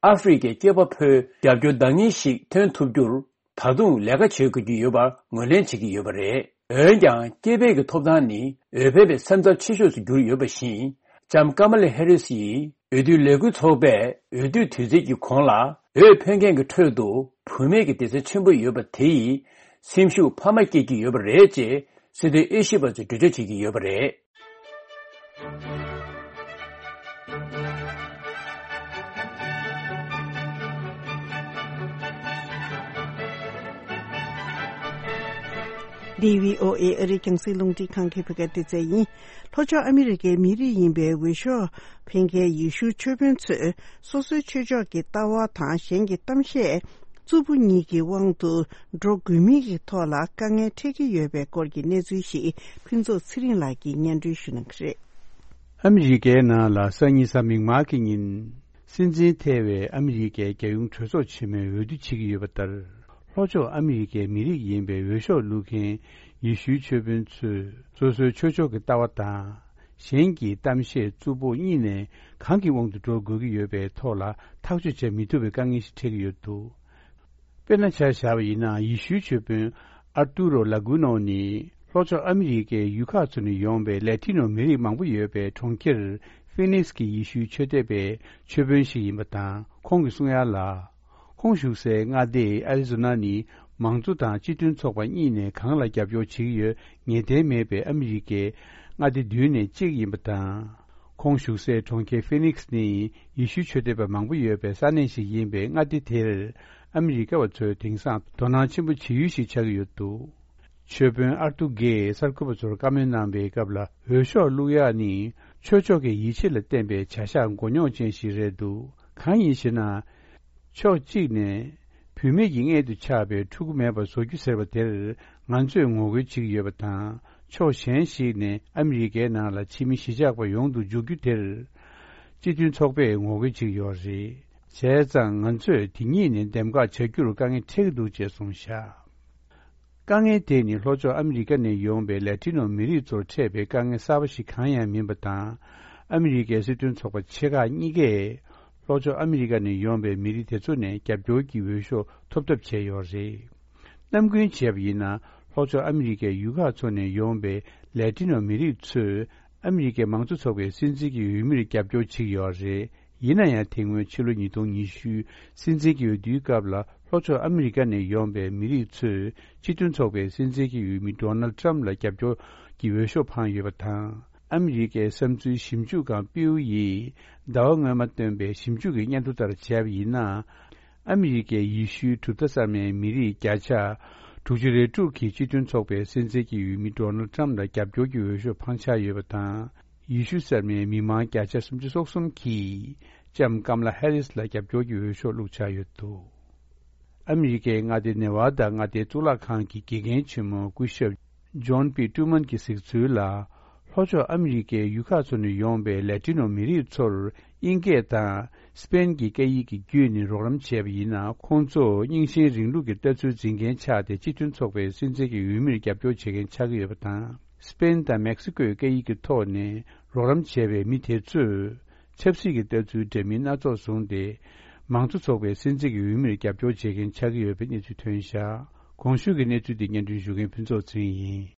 ཨ་ཧྥེ་རི་ཁའི་སྐྱེས་པ་ཕོའི་རྒྱབ་སྐྱོར་འདང་ངེས་ཤིག་ཐོན་ཐུབ་རྒྱུར། ད་དུང་ལས་ཀ་བྱེད་དགོས་ཀྱི་ཡོད་པར་ངོས་ལེན་བྱེད་ཀྱི་ཡོད་པ་རེད། འོན་ཀྱང་སྐྱེས་པའི་གི་ཐོབ་ཐང་ནི་འོས་འཕེན་པའི་སེམས་འཚབ་ཆེ་ཤོས་སུ་གྱུར་ཡོད་པ་བཞིན། ལྕམ་ཀ་མ་ལ་ཧེ་རི་སི་ཡིས་འོས་བསྡུའི་ལས་འགུལ་ཚོགས་པས་འོས་བསྡུའི་དུས་ཚིགས་ཀྱི་གོང་ལ་འོས་འཕེན་མཁན་གྱི་ཁྲོད་དུ་བུད་མེད་ཀྱི་སྡེ་ཚན་ཆེན་པོ་ཡོད་པ་དེ་ཡིས་སེམས་ཤུགས་འཕར་མ་སྐྱེད་ཀྱི་ཡོད་པ་རེད་ཅེས་སྲིད་དོན་དབྱེ་ཞིབ་པ་ཚོས་འགྲེལ་བརྗོད་བྱེད་ཀྱི་ཡོད་པ་རེད། འདི་བྷི་ཨོ་ཨེ་ཨ་རིའི་རྒྱང་སྲིང་རླུང་འཕྲིན་ཁང་གི་བོད་སྐད་སྡེ་ཚན་ཡིན། ལྷོ་ཕྱོགས་ཨ་མི་རི་ཀའི་མི་རིགས་ཡིན་པའི་འོས་ཤོག་འཕེན་མཁན་ཡེ་ཤུའི་ཆོས་དཔོན་ཚོས་སོ་སོའི་ཆོས་ཕྱོགས་ཀྱི་ལྟ་བ་དང་གཞན་གྱི་གཏམ་བཤད་རྩུབ་པོ་གཉིས་ཀྱི་དབང་དུ་འགྲོ་དགོས་མིན་གྱི་ཐོག་ལ་དཀའ་ངལ་འཕྲད་ཀྱི་ཡོད་པའི་སྐོར་གྱི་གནས་ཚུལ་ཞིག་ཕུན་ཚོགས་ཚེ་རིང་ལགས་ཀྱིས་སྙན་སྒྲོན་ཞུ་གནང་གི་རེད། ཨ་མི་རི་ཀའི་ནང་ལ་སང་ཉིན་གཟའ་མིག་དམར་གྱི་ཉིན། སྲིད་འཛིན་ཐེ་བའི་ཨ་མི་རི་ཀའི་རྒྱལ་ཡོངས་གྲོས་ཚོགས་ཆེན་མོས་འོས་བསྡུ་བྱེད་ཀྱི་ཡོད་པ་ལྟར། ལྷོ་ཕྱོགས་ཨ་མི་རི་ཀའི་མི་རིགས་ཡིན་པའི་འོས་ཤོག་བླུག་མཁན་ཡེ་ཤུའི་ཆོས་དཔོན་ཚོས་སོ་སོའི་ཆོས་ཕྱོགས་ཀྱི་ལྟ་བ་དང་། གཞན་གྱི་གཏམ་བཤད་རྩུབ་པོ་གཉིས་ནས་གང་གི་དབང་དུ་འགྲོ་དགོས་ཀྱི་ཡོད་པའི་ཐོག་ལ་ཐག་གཅོད་བྱེད་མི་ཐུབ་པའི་དཀའ་ངལ་ཞིག་འཕྲད་ཀྱི་ཡོད་འདུག་དཔེར་ན་ཆ་བཞག་པ་ཡིན་ན་ཡེ་ཤུའི་ཆོས་དཔོན་ཨར་ཏུ་རོ་ལ་གུ་ནོ་ནི་ལྷོ་ཕྱོགས་ཨ་མི་རི་ཀའི་ཡུལ་ཁག་ཚོ་ནས་ཡོང་པའི་ལེ་ཐི་ནོ་མི་རིགས་མང་པོ་ཡོད་པའི་གྲོང་ཁྱེར་ཧྥི་ནིག་སི་ཀྱི་ཡེ་ཤུའི་ཆོས་དད་པའི་ཆོས་དཔོན་ཞིག་ཡིན་པ་དང་། ཁོང་གིས་གསུང་ཡ་ལ། ཁོང་བཞུགས་སའི་མངའ་སྡེ་ཨ་རི་ཛོ་ན་ནི་མང་གཙོ་དང་སྤྱི་མཐུན་ཚོགས་པ་གཉིས་ནས་གང་ལ་རྒྱབ་སྐྱོར་བྱེད་ཀྱི་ཡོད་ངེས་གཏན་མེད་པའི་ཨ་མི་རི་ཀའི་མངའ་སྡེ་བདུན་ནས་གཅིག་ཡིན་པ་དང་། ཁོང་བཞུགས་སའི་གྲོང་ཁྱེར་ཧྥི་ནིག་སི་ནི་ཡེ་ཤུའི་ཆོས་དད་པ་མང་པོ་ཡོད་པའི་ས་གནས་ཤིག་ཡིན་པས་མངའ་སྡེ་དེར་ཨ་མི་རི་ཀ་བ་ཚོས་དེང་སང་དོ་སྣང་ཆེན་པོ་བྱེད་ཡུལ་ཞིག་ཆགས་ཀྱི་ཡོད་འདུག་ཆོས་དཔོན་ཨར་ཏུ་གེས་གསར་འགོད་པ་ཚོར་བཀའ་མོལ་གནང་པའི་སྐབས་ལ། འོས་ཤོག་བླུག་ཡག་ནི་ཆོས་ཕྱོགས་ཀྱི་ཡིད་ཆེས་ལ་བརྟེན་པའི་བྱ་གཞག་མགོ་རྙོག་ཅན་ཞིག་རེད་འདུག་གང་ཡིན་ཞེ་ན། ཕྱོགས་གཅིག་ནས་བུད་མེད་ཀྱི་མངལ་དུ་ཆགས་པའི་ཕྲུ་གུ་མེད་པར་བཟོ་རྒྱུ་ཟེར་བ་དེར་ང་ཚོས་ངོ་རྒོལ་བྱེད་ཀྱི་ཡོད་པ་དང་། ཕྱོགས་གཞན་ཞིག་ནས་ཨ་མི་རི་ཀའི་ནང་ལ་ཕྱི་མི་གཞིས་ཆགས་པ་ཡོང་དུ་འཇུག་རྒྱུ་དེར་སྤྱི་མཐུན་ཚོགས་པས་ངོ་རྒོལ་བྱེད་ཀྱི་ཡོད་རེད། བྱས་ཙང་ང་ཚོས་དེ་གཉིས་ནས་འདེམས་ཀ་བྱ་རྒྱུར་དཀའ་ངལ་འཕྲད་ཀྱི་འདུག་ཅེས་གསུངས་བཞག་དཀའ་ངལ་དེ་ནི་ལྷོ་ཕྱོགས་ཨ་མི་རི་ཀ་ནས་ཡོང་པའི་ལེ་ཏི་ནོ་མི་རིགས་ཚོར་འཕྲད་པའི་དཀའ་ངལ་གསར་པ་ཞིག་གང་ཡང་མིན་པ་དང་། ཨ་མི་རི་ཀའི་སྲིད་དོན་ཚོགས་པ་ཆེ་ཁག་གཉིས་ཀས་ལྷོ་ཕྱོགས་ཨ་མི་རི་ཀ་ནས་ཡོང་པའི་མི་རིགས་དེ་ཚོ་ནས་རྒྱབ་སྐྱོར་གྱི་འོས་ཤོག་ཐོབ་ཐབས་བྱས་ཡོད་རེད། ནམ་རྒྱུན་བྱས་པ་ཡིན་ན་ལྷོ་ཕྱོགས་ཨ་མི་རི་ཀའི་ཡུལ་ཁག་ཚོ་ནས་ཡོང་པའི་ལེ་ཏི་ནོ་མི་རིགས་ཚོས་ཨ་མི་རི་ཀའི་མང་གཙོ་ཚོགས་པའི་སྲིད་འཛིན་གྱི་འོས་མིར་རྒྱབ་སྐྱོར་བྱེད་ཀྱི་ཡོད་རེད། ཡིན་ན་ཡང་དེ་སྔོན་ཕྱི་ལོ་ཉིས་སྟོང་ཉི་ཤུ་སྲིད་འཛིན་གྱི་འོས་བསྡུའི་སྐབས་ལ་ལྷོ་ཕྱོགས་ཨ་མི་རི་ཀ་ནས་ཡོང་པའི་མི་རིགས་ཚོས་སྤྱི་མཐུན་ཚོགས་པའི་སྲིད་འཛིན་གྱི་འོས་མི་ཌོ་ནལ་ཌི་ཊརམ་ཕ་ལ་རྒྱབ་སྐྱོར་གྱི་འོས་ཤོག་འཕངས་ཡོད་པ་དང་། ཨ་མི་རི་ཀའི་བསམ་ཚུལ་ཞིབ་འཇུག་ཁང་པིའུ་ཡིས་ཟླ་བ་སྔོན་མ་བཏོན་པའི་ཞིབ་འཇུག་གི་སྙན་ཐོ་ལྟར་བྱས་པ་ཡིན་ན། ཨ་མི་རི་ཀའི་ཡེ་ཤུའི་གྲུབ་མཐའ་གསར་མའི་མི་རིགས་བརྒྱ་ཆ་དྲུག་ཅུ་རེ་དྲུག་གིས་སྤྱི་མཐུན་ཚོགས་པའི་སྲིད་འཛིན་གྱི་འོས་མི་ཌོ་ནལ་ཌི་ཊརམ་ཕ་ལ་རྒྱབ་སྐྱོར་གྱི་འོས་ཤོག་འཕངས་འཆར་ཡོད་པ་དང་། ཡེ་ཤུ་གསར་མའི་མི་མང་བརྒྱ་ཆ་སུམ་ཅུ་སོ་གསུམ་གྱིས་ལྕམ་ཀམ་ལ་ཧེ་རིས་ལ་རྒྱབ་སྐྱོར་གྱི་འོས་ཤོག་བླུགས་འཆར་ཡོད་འདུག་ཨ་མི་རི་ཀའི་མངའ་སྡེ་ནེ་ཝ་ད་མངའ་སྡེའི་གཙུག་ལག་ཁང་གི་དགེ་རྒན་ཆེན་མོ་སྐུ་ཞབས་ཇོན་པི་ཀྲུ་མན་གྱིས་གཟིགས་ཚུལ་ལ། ལྷོ་ཕྱོགས་ཨ་མི་རི་ཀའི་ཡུལ་ཁག་ཚོ་ནས་ཡོང་པའི་ལེ་ཏི་ནོ་མི་རིགས་ཚོར་དབྱིན་སྐད་དང་སི་པེན་གྱི་སྐད་ཡིག་གི་བརྒྱུད་ནས་རོགས་རམ་བྱས་པ་ཡིན་ན། ཁོང་ཚོ་རྙིང་ཞེན་རིང་ལུགས་ཀྱི་ལྟ་ཚུལ་འཛིན་མཁན་ཆགས་ཏེ། སྤྱི་མཐུན་ཚོགས་པའི་སྲིད་འཛིན་གྱི་འོས་མིར་རྒྱབ་སྐྱོར་བྱེད་མཁན་ཆགས་ཀྱི་ཡོད་པ་དང་། སི་པེན་དང་མེག་སི་ཀོའི་སྐད་ཡིག་གི་ཐོག་ནས་རོགས་རམ་བྱས་པའི་མི་དེ་ཚོས་ ཆབ་སྲིད་ཀྱི་ལྟ་ཚུལ་འདྲ་མིན་སྣ་ཚོགས་བཟུང་སྟེ། མང་གཙོ་ཚོགས་པའི་སྲིད་འཛིན་གྱི་འོས་མིར་རྒྱབ་སྐྱོར་བྱེད་མཁན་ཆགས་ཀྱི་ཡོད་པའི་གནས་ཚུལ་ཐོན་བཞག་གོང་ཞུས་ཀྱི་གནས་ཚུལ་འདི་སྙན་སྒྲོན་ཞུ་མཁན་ཕུན་ཚོགས་ཚེ་རིང་ཡིན།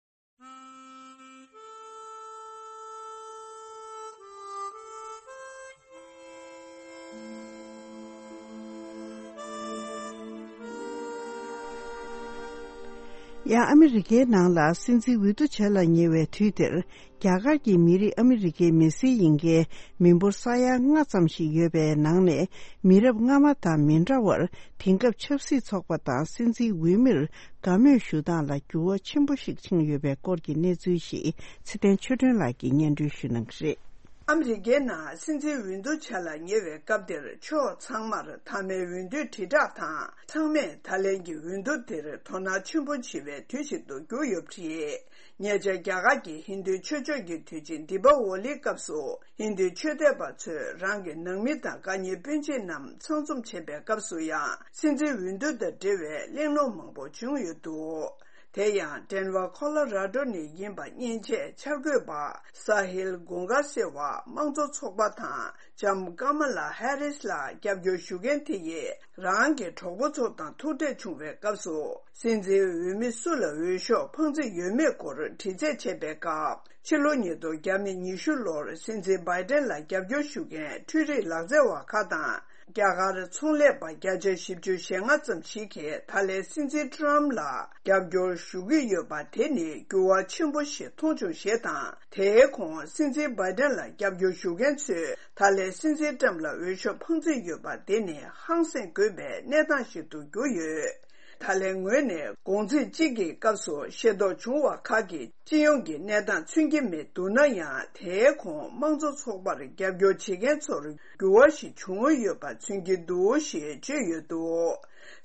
ཡང་ཨ་མི་རི་ཀའི་ནང་ལ་སྲིད་འཛིན་འོས་བསྡུ་བྱ་ལ་ཉེ་བའི་དུས་དེར། རྒྱ་གར་གྱི་མི་རིགས་ཨ་མི་རི་ཀའི་མི་སེར་ཡིན་མཁན་མི་འབོར་ས་ཡ་ལྔ་ཙམ་ཞིག་ཡོད་པའི་ནང་ནས། མི་རབས་སྔ་མ་དང་མི་འདྲ་བར། དེང་སྐབས་ཆབ་སྲིད་ཚོགས་པ་དང་སྲིད་འཛིན་འོས་མིར་དགའ་མོས་ཞུ་སྟངས་ལ་འགྱུར་བ་ཆེན་པོ་ཞིག་ཕྱིན་ཡོད་པའི་སྐོར་གྱི་གནས་ཚུལ་ཞིག་ཚེ་བརྟན་ཆོས་སྒྲོན་ལགས་ཀྱིས་སྙན་སྒྲོན་ཞུ་གནང་གི་རེད། ཨ་མི་རི་ཀའི་ནང་སྲིད་འཛིན་འོས་བསྡུ་བྱ་ལ་ཉེ་བའི་སྐབས་དེར། ཕྱོགས་ཚང་མར་མཐའ་མའི་འོས་བསྡུའི་དྲིལ་བསྒྲགས་དང་། ཚང་མས་ད་ལན་གྱི་འོས་བསྡུ་དེར་དོ་སྣང་ཆེན་པོ་བྱེད་པའི་དུས་ཤིག་ཏུ་གྱུར་ཡོད་པ་རེད། ཉེ་ཆར་རྒྱ་གར་གྱི་ཧིན་རྡུའི་ཆོས་ཕྱོགས་ཀྱི་དུས་ཆེན་དི་པ་ཝོ་ལིའི་སྐབས་སུ། ཧིན་རྡུའི་ཆོས་དད་པ་ཚོས་རང་གི་ནང་མི་དང་དགའ་ཉེ་སྤུན་མཆེད་རྣམས་ཚང་འཛོམས་བྱེད་པའི་སྐབས་སུ་ཡང་། སྲིད་འཛིན་འོས་བསྡུ་དང་འབྲེལ་བའི་གླེང་སློང་མང་པོ་བྱུང་ཡོད་འདུག་དེ་ཡང་ཌེན་ཝར་ཁོ་ལོ་ར་ཌོ་ནས་ཡིན་པ། མཉེན་ཆས་འཆར་འགོད་པ་ས་ཧིལ་གོང་ག་སེ་བ་དམངས་གཙོ་ཚོགས་པ་དང་ལྕམ་ཀ་མ་ལ་ཧེ་རིས་ལ་རྒྱབ་སྐྱོར་ཞུ་མཁན་དེ་ཡིས། རང་གི་གྲོགས་པོ་ཚོ་དང་ཐུག་འཕྲད་བྱུང་བའི་སྐབས་སུ། སྲིད་འཛིན་འོས་མི་སུ་ལ་འོས་ཤོག་འཕངས་རྩིས་ཡོད་མེད་སྐོར་དྲི་རྩད་བྱས་པའི་སྐབས། ཕྱི་ལོ་ཉིས་སྟོང་ཉི་ཤུ་ལོར་སྲིད་འཛིན་བྷའི་ཏན་ལ་རྒྱབ་སྐྱོར་ཞུ་མཁན་འཕྲུལ་རིག་ལག་རྩལ་བ་ཁག་དང་། རྒྱ་གར་ཚོང་ལས་པ་བརྒྱ་ཆ་བཞི་བཅུ་ཞེ་ལྔ་ཙམ་ཞིག་གིས་ད་ལན་སྲིད་འཛིན་ཊམ་ལ་རྒྱབ་སྐྱོར་ཞུ་གི་ཡོད་པ་དེ་ནི་འགྱུར་བ་ཆེན་པོ་ཞིག་མཐོང་བྱུང་ཞེས་དང་། དེའི་གོང་སྲིད་འཛིན་བྷའི་ཏན་ལ་རྒྱབ་སྐྱོར་ཞུ་མཁན་ཚོས་ད་ལན་སྲིད་འཛིན་ཊམ་ལ་འོས་ཤོག་འཕངས་རྩིས་ཡོད་པ་དེ་ནི་ཧང་སངས་དགོས་པའི་གནས་སྟངས་ཤིག་ཏུ་གྱུར་ཡོད། ད་ལན་ངོས་ནས་དགོང་ཚིགས་གཅིག་གི་སྐབས་སུ་ཤེས་རྟོགས་བྱུང་བ་ཁག་གིས། སྤྱི་ཡོངས་ཀྱི་གནས་སྟངས་མཚོན་གྱི་མི་འདུག་ན་ཡང་། དེའི་གོང་དམངས་གཙོ་ཚོགས་པར་རྒྱབ་སྐྱོར་བྱེད་མཁན་ཚོར་འགྱུར་བ་ཞིག་བྱུང་ཡོད་པ་མཚོན་གྱི་འདུག་ཞེས་བརྗོད་ཡོད་འདུག་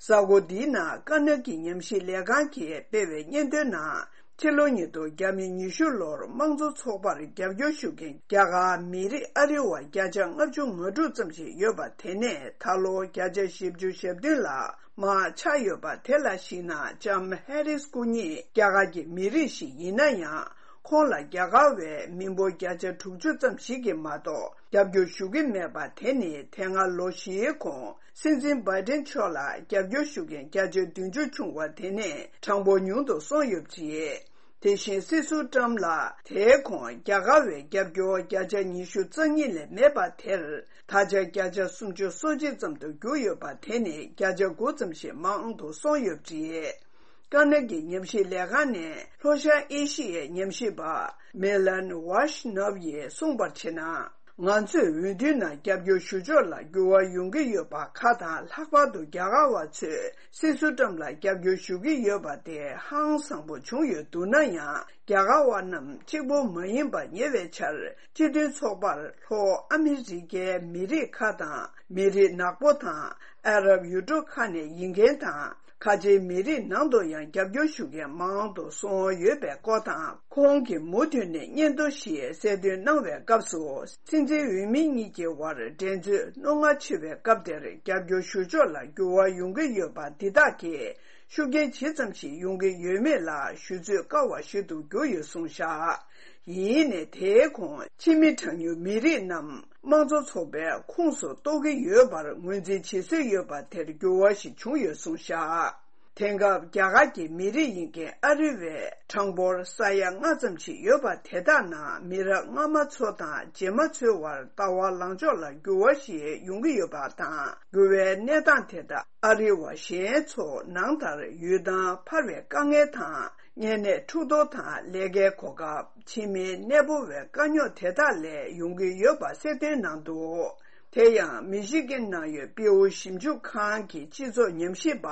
གཟའ་འཁོར་འདིའི་ནང་དཀར་ནག་གི་ཉམས་ཞིབ་ལས་ཁང་གིས་སྤེལ་བའི་སྙན་ཐོའི་ནང་། ཕྱི་ལོ་ཉིས་སྟོང་ཉི་ཤུ་ལོར་དམངས་གཙོ་ཚོགས་པར་རྒྱབ་སྐྱོར་ཞུ་མཁན་རྒྱ་གར་མི་རིགས་ཨ་རི་བ་བརྒྱ་ཆ་ལྔ་བཅུ་ང་དྲུག་ཙམ་ཞིག་ཡོད་པ་དེ་ནས་ད་ལོ་བརྒྱ་ཆ་བཞི་བཅུ་ཞེ་བདུན་ལ། མར་ཆགས་ཡོད་པ་དེ་ལ་གཞིགས་ན། ལྕམ་ཧེ་རིས་སྐུ་ཉིད་རྒྱ་གར་གྱི་མི་རིགས་ཤིག་ཡིན་ན་ཡང་། ཁོང་ལ་རྒྱ་གར་བའི་མི་འབོར་བརྒྱ་ཆ་དྲུག་ཅུ་ཙམ་ཞིག་གིས་མ་གཏོགས་རྒྱབ་སྐྱོར་ཞུ་གི་མེད་པ་དེ་ནི། དེ་སྔ་ལོ་བཞིའི་གོང་སྲིད་འཛིན་བྷའི་ཏན་མཆོག་ལ་རྒྱབ་སྐྱོར་ཞུ་མཁན་བརྒྱ་ཆ་བདུན་ཅུ་བྱུང་བ་དེ་ནི་གྲངས་འབོར་ཉུང་དུ་སོང་ཡོད་པ་རེད། དེ་བཞིན་སྲིད་ཟུར་ཊམ་ལ་དེའི་གོང་རྒྱ་གར་བའི་རྒྱབ་སྐྱོར་བརྒྱ་ཆ་ཉི་ཤུ་རྩ་གཉིས་ལས་མེད་པ་དེར། ད་ཆ་བརྒྱ་ཆ་སུམ་ཅུ་སོ་གཅིག་ཙམ་དུ་གྱུར་ཡོད་པ་དེ་ནི་བརྒྱ་ཆ་དགུ་ཙམ་ཞིག་མང་དུ་སོང་ཡོད་པ་རེད། དཀར་ནག་གི་ཉམས་ཞིབ་ལས་ཁང་ནས་ལྷོ་ཤར་ཨེ་ཤི་ཡའི་ཉམས་ཞིབ་པ་མེ་ལན་ཝཱ་ཤི་ནོབ་ཡིས་གསུངས་པར་བྱས་ན། ང་ཚོས་འོས་བསྡུའི་ནང་རྒྱབ་སྐྱོར་ཞུ་ཕྱོགས་ལ་འགྱུར་བ་ཡོང་གི་ཡོད་པ་ཁག་དང་། ལྷག་པར་དུ་རྒྱ་གར་བ་ཚོས་སྲིད་ཟུར་ཊམ་ལ་རྒྱབ་སྐྱོར་ཞུ་གི་ཡོད་པ་དེ་ཧང་སངས་པོ་བྱུང་ཡོད་འདུག་ན་ཡང་། རྒྱ་གར་བ་རྣམས་གཅིག་པོ་མ་ཡིན་པ། ཉེ་བའི་ཆར་སྤྱི་མཐུན་ཚོགས་པར་ལྷོ་ཨ་མི་རི་ཀའི་མི་རིགས་ཁག་དང་། མི་རིགས་ནག་པོ་དང་། ཨ་རབ་ཡུལ་གྲུ་ཁག་ནས་ཡིན་མཁན་དང་། ཁ་ཆེའི་མི་རིགས་ནང་དུ་ཡང་རྒྱབ་སྐྱོར་ཞུ་མཁན་མང་དུ་སོང་ཡོད་པའི་སྐོར་དང་། ཁོང་གིས་མུ་མཐུད་ནས་སྙན་ཐོ་ཞིག་གསལ་སྟོན་གནང་བའི་སྐབས་སུ། སྲིད་འཛིན་འོས་མི་གཉིས་ཀྱི་བར་འགྲན་རྩོད་རྣོ་ངར་ཆེ་བའི་སྐབས་དེར། རྒྱབ་སྐྱོར་ཞུ་ཕྱོགས་ལ་འགྱུར་བ་ཡོང་གི་ཡོད་པ་འདི་དག་གིས། ཤུགས་རྐྱེན་ཇི་ཙམ་ཞིག་ཡོང་གི་ཡོད་མེད་ལ་ཞུ་ཚོད་དཀའ་བ་ཞིག་ཏུ་གྱུར་ཡོད་གསུངས་བཞག་ཡིན་ནའི་དེའི་གོང་ཕྱི་མི་གྲངས་ཉུང་མི་རིགས་རྣམས་དམངས་གཙོ་ཚོགས་པའི་ཁོངས་སུ་གཏོགས་ཀྱི་ཡོད་པར་ངོས་འཛིན་བྱེད་སྲོལ་ཡོད་པ་དེར་འགྱུར་བ་ཞིག་བྱུང་ཡོད་གསུངས་བཞག་དེང་སྐབས་རྒྱ་གར་གྱི་མི་རིགས་ཡིན་མཁན་ཨ་རི་བའི་གྲངས་འབོར་ས་ཡ་ལྔ་ཙམ་ཞིག་ཡོད་པ་དེ་དག་ནང་མི་རབས་སྔ་མ་ཚོ་དང་རྗེས་མ་ཚོའི་བར་ལྟ་བ་ལངས་ཕྱོགས་ལ་འགྱུར་བ་ཞིག་ཡོང་གི་ཡོད་པ་དང་། འགྱུར་བའི་གནས་སྟངས་དེ་དག་ཨ་རི་བ་གཞན་ཚོ་ནང་ལྟར་ཡུལ་ཐང་འཕར་བའི་དཀའ་ངལ་དང་། གཉན་ནད་འཁྲུག་གཏོར་དང་ལས་ཀའི་གོ་སྐབས། ཕྱི་མིའི་གནས་སྤོ་བའི་དཀའ་རྙོག་དེ་དག་ལས་ཡོང་གི་ཡོད་པ་གསལ་སྟོན་གནང་འདུག་དེ་ཡང་མི་ཤི་གན་ནང་ཡོད་པེའུ་ཞིབ་འཇུག་ཁང་གི་སྤྱི་ཚོགས་ཉམས་ཞིབ་པ་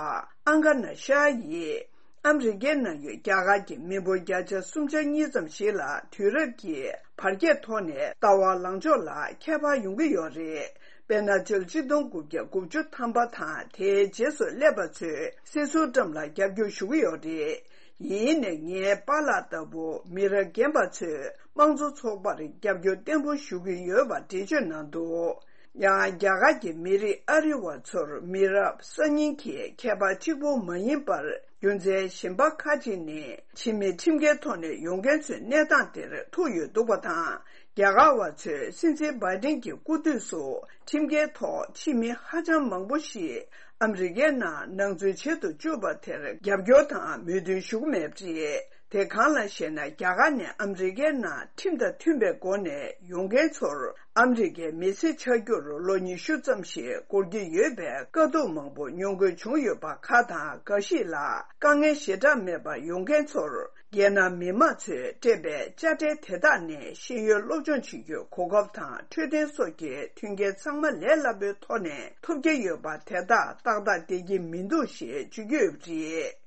ཨང་ཀ་ན་ཤཱ་ཡིས། ཨ་མི་རི་ཀའི་ནང་ཡོད་རྒྱ་གར་གྱི་མི་འབོར་བརྒྱ་ཆ་སུམ་ཅུ་སོ་གཉིས་ཙམ་ཞིག་ལ་དུས་རབས་ཀྱི་བར་ཁྱད་ཐོག་ནས་ལྟ་བ་ལངས་ཕྱོགས་ལ་ཁྱད་པར་ཡོང་གི་ཡོད་རེད། དཔེར་ན། ཕྱི་ལོ་ཆིག་སྟོང་དགུ་བརྒྱ་དགུ་བཅུ་ཐམ་པ་དང་དེའི་རྗེས་སུ་སླེབས་པ་ཚོས་སྲིད་ཟུར་ཊམ་ལ་རྒྱབ་སྐྱོར་ཞུ་གི་ཡོད་རེད། ཡིན་ནའི་ངའི་པཱ་ལགས་ལྟ་བུ་མི་རབས་རྒན་པ་ཚོས་དམངས་གཙོ་ཚོགས་པར་རྒྱབ་སྐྱོར་བརྟན་པོ་ཞུ་གི་ཡོད་པ་འགྲེལ་བརྗོད་གནང་འདུག་ཡང་རྒྱ་གར་གྱི་མི་རིགས་ཨ་རི་བ་ཚོར་མི་རབས་གསར་རྙིང་གི་ཁྱད་པར་གཅིག་པུ་མ་ཡིན་པར། རྒྱུ་མཚན་གཞན་པ་ཁག་ཅིག་ནི། ཕྱི་མི་ཁྲིམས་འགལ་ཐོག་ནས་ཡོང་མཁན་ཚོའི་གནས་སྟངས་དེར་ཐུག་ཡོད་འདུག་པ་དང་། རྒྱ་གར་བ་ཚོས་སྲིད་འཛིན་བྷའི་ཌེན་གྱི་སྐུ་དུས་སུ་ཁྲིམས་འགལ་ཐོག་ཕྱི་མི་ཧ་ཅང་མང་པོ་ཞིག་ཨ་མི་རི་ཀའི་ནང་ནང་འཛུལ་བྱེད་དུ་བཅུག་པ་དེར་རྒྱབ་སྐྱོར་དང་མོས་མཐུན་ཞུ་གི་མེད་པ་རེད། དེ་གང་ལ་ཞེ་ན། རྒྱ་གར་ནས་ཨ་མི་རི་ཀའི་ནང་ཁྲིམས་དང་མཐུན་པའི་སྒོ་ནས་ཡོང་མཁན་ཚོར། ཨ་མི་རི་ཀའི་མི་སེར་ཆགས་རྒྱུར་ལོ་ཉི་ཤུ་ཙམ་ཞིག་འགོར་གྱི་ཡོད་པའི་དཀའ་སྡུག་མང་པོ་མྱོང་དགོས་བྱུང་ཡོད་པ་ཁག་དང་། འགའ་ཞིག་ལ་དཀའ་ངལ་ཞེ་དྲག་མེད་པར་ཡོང་མཁན་ཚོར། རྒྱལ་ནང་མི་མང་ཚོས་སྤྲད་པའི་དཔྱ་ཁྲལ་དེ་དག་ནས་ཤེས་ཡོན་སློབ་སྦྱོང་བྱེད་རྒྱུའི་གོ་སྐབས་དང་འཕྲོད་བསྟེན་སོགས་ཀྱི་མཐུན་རྐྱེན་ཚང་མ་ལས་སླ་པོའི་ཐོག་ནས་ཐོབ་ཀྱི་ཡོད་པ་དེ་དག་ཏག་ཏག་བསྡད་ཀྱི་མི་འདུག་ཞེས་བརྗོད་ཀྱི་ཡོད་པ་རེད།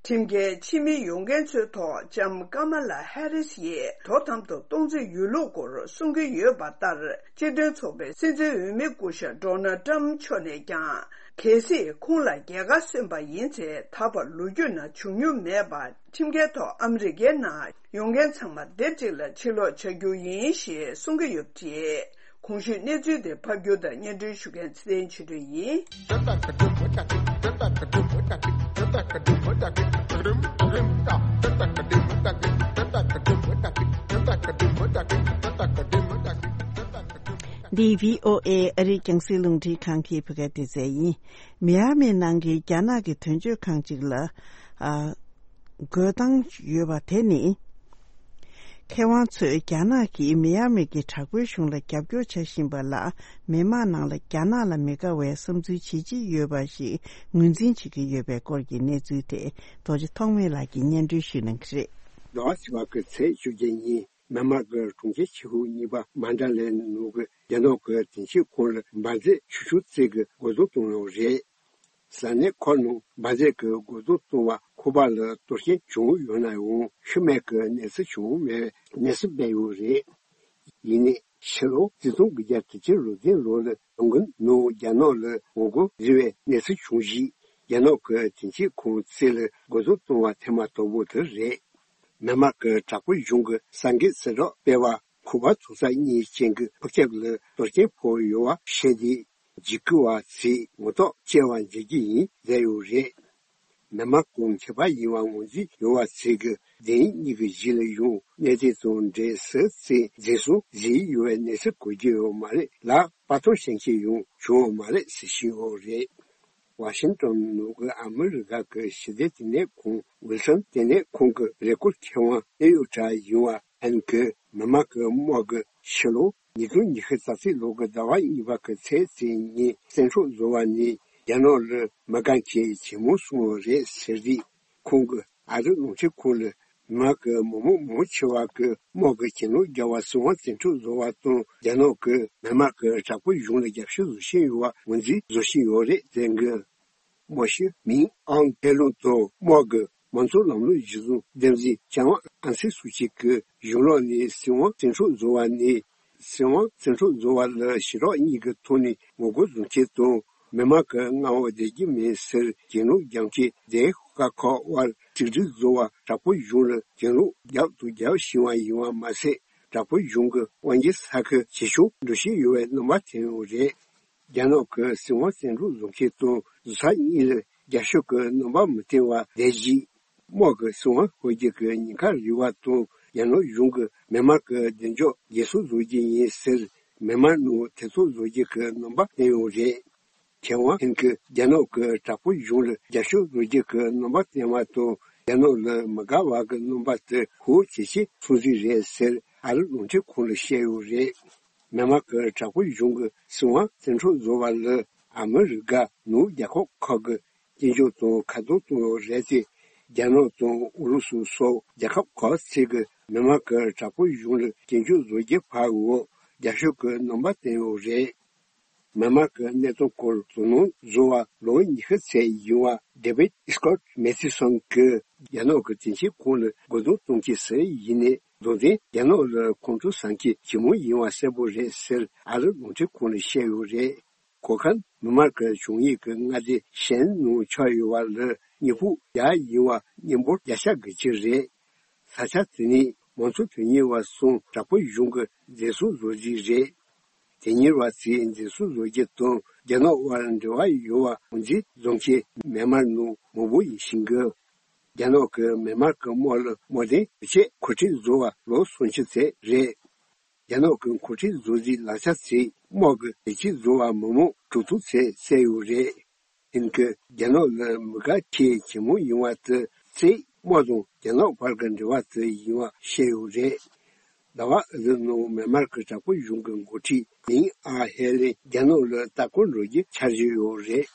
ཁྲིམས་འགལ་ཕྱི་མི་ཡོང་མཁན་ཚོའི་ཐོག་ལྕམ་ཀ་མ་ལ་ཧེ་རིས་ཡིས་དོ་དམ་དུ་གཏོང་རྩིས་ཡོད་ལུགས་སྐོར་གསུང་གི་ཡོད་པ་ལྟར། སྤྱི་མཐུན་ཚོགས་པའི་སྲིད་འཛིན་འོས་མི་སྐུ་ཞབས་ཌོ་ནལ་ཊམ་མཆོག་ནས་ཀྱང་། གལ་སྲིད་ཁོང་ལ་རྒྱལ་ཁ་སོན་པ་ཡིན་ཚེ། ད་བར་ལོ་རྒྱུས་ནང་བྱུང་མྱོང་མེད་པ། ཁྲིམས་འགལ་ཐོག་ཨ་མི་རི་ཀའི་ནང་ཡོང་མཁན་ཚང་མ་སྡེབ་གཅིག་ལ་ཕྱིར་ལོག་བྱ་རྒྱུ་ཡིན་ཞེས་གསུང་གི་ཡོད་པ་རེད། གོང་ཞུས་གནས་ཚུལ་དེ་ཕབ་སྒྱུར་དང་སྙན་སྒྲོན་ཞུ་མཁན་ཚེ་བརྟན་ཆོས་སྒྲོན་ཡིན། འདི་བྷི་ཨོ་ཨེ་ཨ་རིའི་རྒྱང་སྲིང་རླུང་འཕྲིན་ཁང་གི་བོད་སྐད་སྡེ་ཚན་ཡིན། མི་ཡ་མི་ནང་གི་རྒྱ་ནག་གི་དོན་གཅོད་ཁང་ཅིག་ལ། ཨ། རྒོལ་བཏང་ཡོད་པ་དེ་ནི། མཁས་དབང་ཚོས་རྒྱ་ནག་གིས་མི་ཡ་མི་གི་དྲག་པོའི་གཞུང་ལ་རྒྱབ་སྐྱོར་བྱ་བཞིན་པ་ལ། མི་མང་ནང་ལ་རྒྱ་ནག་ལ་མི་དགའ་བའི་བསམ་ཚུལ་ཇི་ཆེ་ཡོད་པ་ཞིག་ངོས་འཛིན་བྱེད་ཀྱི་ཡོད་པའི་སྐོར་གྱི་གནས་ཚུལ་དེ། རྡོ་རྗེ་ཐོགས་མེད་ལགས་ཀྱིས་སྙན་སྒྲོན་ཞུ་གནང་གི་རེད། ཟླ་བ་ཕྱི་པ་གི་ཚེས་བཅོ་བརྒྱད་ཉིན། མྱན་མར་གྱི་གྲོང་ཁྱེར་ཆེ་ཤོས་གཉིས་པ་མན་ཌ་ལའི་ནང་གི་རྒྱ་ནག་གི་དོན་གཅོད་ཁང་ལ་འབར་རྫས་ཆུ་ཤུགས་རྩལ་གྱིས་རྒོལ་རྡུང་བཏང་ཡོད་རེད། ས་གནས་ཁག་ནང་འབར་རྫས་ཀྱིས་རྒོལ་རྡུང་བཏང་བ་ཁོ་པ་ལ་གཏོར་སྐྱོན་བྱུང་ཡོད་ན་ཡང་ཤི་རྨས་ཀྱི་གནས་ཚུལ་བྱུང་མེད་པའི་གནས་ཚུལ་སྤེལ་ཡོད་རེད། ཡིན་ནའི་ཕྱི་ལོ་ཆིག་སྟོང་དགུ་བརྒྱ་དྲུག་ཅུ་རེ་བདུན་ལོ་ལ་ལོང་གིན་ནང་རྒྱ་ནག་ལ་ངོ་རྒོལ་བཟོས་པའི་གནས་ཚུལ་བྱུང་རྗེས། རྒྱ་ནག་གི་དོན་གཅོད་ཁང་རྩིས་ལ་རྒོལ་རྡུང་བཏང་བ་ཐེངས་མ་དང་པོ་དེ་རེད། མྱན་མར་གྱི་དྲག་པོའི་གཞུང་གི་གསར་འགོད་གསལ་བསྒྲགས་སྤེལ་བ། ཁོ་པ་ཚོགས་ས་གཉིས་ཅན་གྱི་ཕུག་ཁྱབ་ལ་གཏོར་སྐྱོན་ཕོག་ཡོད་པ་བཤད་དེ། འཇིགས་སྐུལ་བ་ཚོས་ངོ་ཐོག་བཅར་བ་མཇལ་རྒྱུ་ཡིན་ཟེར་ཡོད་རེད། མྱན་མར་གྱི་མཁས་པ་ཡིན་པ་ངོས་འཛིན་ཡོད་པ་ཚོས་ཀྱི་མདེལ་གཉིས་ཀྱི་གཞི་ལ་ཡང་གནས་ཚུལ་དང་འབྲེལ་སུ་ཚོས་འཛིན་བཟུང་བཟོས་ཡོད་པའི་གནས་ཚུལ་གོ་རྒྱུ་ཡོད་མ་རེད་ལ། པར་ཐོན་ཤན་ཆེ་ཡང་བྱུང་ཡོད་མ་རེད་ཟེར་བཞིན་ཡོད་རེད། ཝ་ཤིང་ཏོན་ནང་གི་ཨ་མི་རི་ཀ་གི་ཞི་བདེ་ལྟེ་གནས་ཁང་ཝིལ་སོན་ལྟེ་གནས་ཁང་གི་རེ་སྐུལ་མཁས་དབང་ཨེ་ཡོ་ཏྲ་ཡིན་པ་ཨན་གྱིས་མྱན་མར་གྱི་དམག་གིས་ཕྱི་ལོ་ཉིས་སྟོང་ཉི་ཤུ་རྩ་གཅིག་ལོ་གི་ཟླ་བ་གཉིས་པ་གི་ཚེས་གཅིག་ཉིན་བཙན་འཕྲོག་བཟོ་བ་ནི་རྒྱ་ནག་ལ་མི་དགའ་མཁན་ཇེ་མང་སོང་བ་རེད་ཟེར་ཏེ། ཁོང་གིས་ཨ་རི་རླུང་འཕྲིན་ཁང་ལ། མྱན་མར་གྱི་མི་མང་མང་ཆེ་བ་གིས་དམག་གི་གྱེན་ལོག་བརྒྱབ་པ་སྲིད་དབང་བཙན་འཕྲོག་བཟོ་བ་དང་། རྒྱ་ནག་གིས་མྱན་མར་གྱི་དྲག་པོའི་གཞུང་ལ་རྒྱབ་སྐྱོར་བཟོ་བཞིན་ཡོད་པ་ངོས་འཛིན་བཟོ་བཞིན་ཡོད་རེད་ཟེར་གི། མོ་ཤི་མིང་ཨང་། ཨེ་ལུང་དང་དམག་གི་མང་གཙོ་ལམ་ལུགས་གཞི་བཟུང་འདེམས་འཛིན་ཅང་ཨན་སན་སུའུ་ཅི་གིས་གཞུང་ལོགས་ནས་སྲིད་དབང་བཙན་འཕྲོག་བཟོ་བ་ནི། སྲིད་དབང་བཙན་འཕྲོག་བཟོ་བ་ལ་ཞི་དྲག་གཉིས་ཀྱི་ཐོག་ནས་ངོ་རྒོལ་བཟོ་མཁན་དང་། མྱན་མར་གྱི་མངའ་འོག་བསྡད་རྒྱུ་མིན་ཟེར་གྱེན་ལོག་རྒྱག་མཁན་དེ་ཤོག་ཁག་ཁག་དབར་གཅིག་སྒྲིལ་བཟོ་བར་དྲག་པོའི་གཞུང་ལ་གྱེན་ལོག་རྒྱག་ཏུ་རྒྱག་བཞིན་པ་ཡིན་པ་མ་ཟད། དྲག་པོའི་གཞུང་གི་དབང་སྒྱུར་ས་ཁུལ་ཇེ་ཆུང་འགྲོ་བཞིན་ཡོད་པའི་རྣམ་པ་ཐོན་ཡོད་རེད། རྒྱ་ནག་གི་སྲིད་དབང་བཙན་འཕྲོག་བཟོ་མཁན་དང་བཟོ་ས་གཉིས་ལ་རྒྱབ་སྐྱོར་གྱི་རྣམ་པ་མི་བསྟན་པ་བསྡད་རྗེས། དམག་གི་སྲིད་དབང་ཤོར་རྒྱུ་གི་ཉེན་ཁ་རེད་པ་དང་། རྒྱ་ནག་གཞུང་གིས་མྱན་མར་གྱི་བདེ་འཇགས་འགན་སྲུང་བཟོ་རྒྱུ་ཡིན་ཟེར། མྱན་མར་ནང་ཐེ་ཚོམ་བཟོ་རྒྱུ་གི་རྣམ་པ་བསྟན་ཡོད་རེད། མཁས་དབང་ཧན་གྱིས་རྒྱ་ནག་གི་དྲག་པོའི་གཞུང་ལ་རྒྱབ་སྐྱོར་བཟོ་རྒྱུ་གི་རྣམ་པ་བསྟན་པ་དང་། རྒྱ་ནག་ལ་མི་དགའ་བ་གི་རྣམ་པ་དེ་ཤུགས་ཇེ་ཆེ་སོང་ཟིག་རེད་ཟེར། ཨ་རི་རླུང་འཕྲིན་ཁང་ལ་བཤད་ཡོད་རེད། མྱན་མར་གྱི་དྲག་པོའི་གཞུང་གིས་སྲིད་དབང་བཙན་འཕྲོག་བཟོ་བ་ལ་ཨ་མི་རི་ཀ་ནང་རྒྱལ་ཁབ་ཁག་གིས་སྐྱོན་བརྗོད་དང་ཁ་རྡུང་བཏང་ཡོད་རེད་དེ། རྒྱ་ནག་དང་ཨུ་རུ་སུ་སོགས་རྒྱལ་ཁབ་ཁག་ཅིག་གིས་མྱན་མར་གྱི་དྲག་པོའི་གཞུང་ལ་སྐྱོན་བརྗོད་བཟོ་རྒྱུ་བར་འོག་རྒྱབ་སྐྱོར་གྱི་རྣམ་པ་བསྟན་ཡོད་རེད། མྱན་མར་གྱི་གནད་དོན་སྐོར་དོ་སྣང་བཟོ་བ་ལོ་ཉི་ཤུ་ཙམ་ཡིན་པ་ཌེ་བིད་སྐོད་མེ་ཐི་སོན་གྱིས་རྒྱ་ནག་གི་དོན་གཅོད་ཁང་ལ་རྒོལ་རྡུང་གཏོང་མཁན་སུ་ཡིན་ནའི། རྡུང་རྡེག་རྒྱ་ནག་ལ་ཁོང་ཁྲོ་ཟ་མཁན་ཇེ་མང་ཡིན་པ་གསལ་པོ་རེད་ཟེར། ཨ་རི་རླུང་འཕྲིན་ཁང་ལ་བཤད་ཡོད་རེད། གོ་མཁན་མྱན་མར་གྱི་བྱུང་ཡུལ་གྱི་མངའ་སྡེ་གཞན་ནང་ཆགས་ཡོད་པ་ལ་གཉིས་ཕུག་བརྒྱ་ཡིན་པ་མི་འབོར་བརྒྱ་ཆ་དགུ་བཅུ་རེད། ས་ཆ་དེ་ནི་མང་གཙོ་དོན་གཉེར་བ་གསུམ་དྲག་པོའི་གཞུང་གིས་འཛིན་བཟུང་བཟོ་རྩིས་རེད། དོན་གཉེར་བ་ཚོས་འཛིན་བཟུང་བཟོ་རྒྱུ་དང་རྒྱ་ནག་དབར་འབྲེལ་བ་ཡོད་པ་ངོས་འཛིན་བཟོ་མཁན་མྱན་མར་ནང་མང་པོ་ཡིན་བཞིན་གི། རྒྱ་ནག་གི་མེན་མར་གྱི་དམག་ལ་དམག་དོན་བྱེད་འགོ་ཁྲིད་བཟོ་བ་ལོ་སུམ་ཅུ་ཙམ་རེད། རྒྱ་ནག་གི་འགོ་ཁྲིད་བཟོ་རྩིས་ལག་ཆ་ཚིག་དམག་གི་ལས་བྱེད་བཟོ་བ་མི་མང་དྲུག་སྟོང་ཙམ་བསད་ཡོད་རེད། ཡིན་གྱི་རྒྱ་ནག་ལ་མི་དགའ་ཁྱེད་ཇེ་མང་ཡོང་བ་དེ་ཚེ་དམག་དང་རྒྱ་ནག་བར་གྱི་འབྲེལ་བ་དེ་ཡིན་བ་བཤད་ཡོད་རེད། ཟླ་བ་ཨ་ཟི་ནང་མེན་མར་གྱི་དྲག་པོའི་གཞུང་གི་འགོ་ཁྲིད་མིང་ཨ་ཧེ་ལིན་རྒྱ་ནག་ལ་ལྟ་སྐོར་འགྲོ་རྒྱུ་འཆར་གཞི་ཡོད་རེད།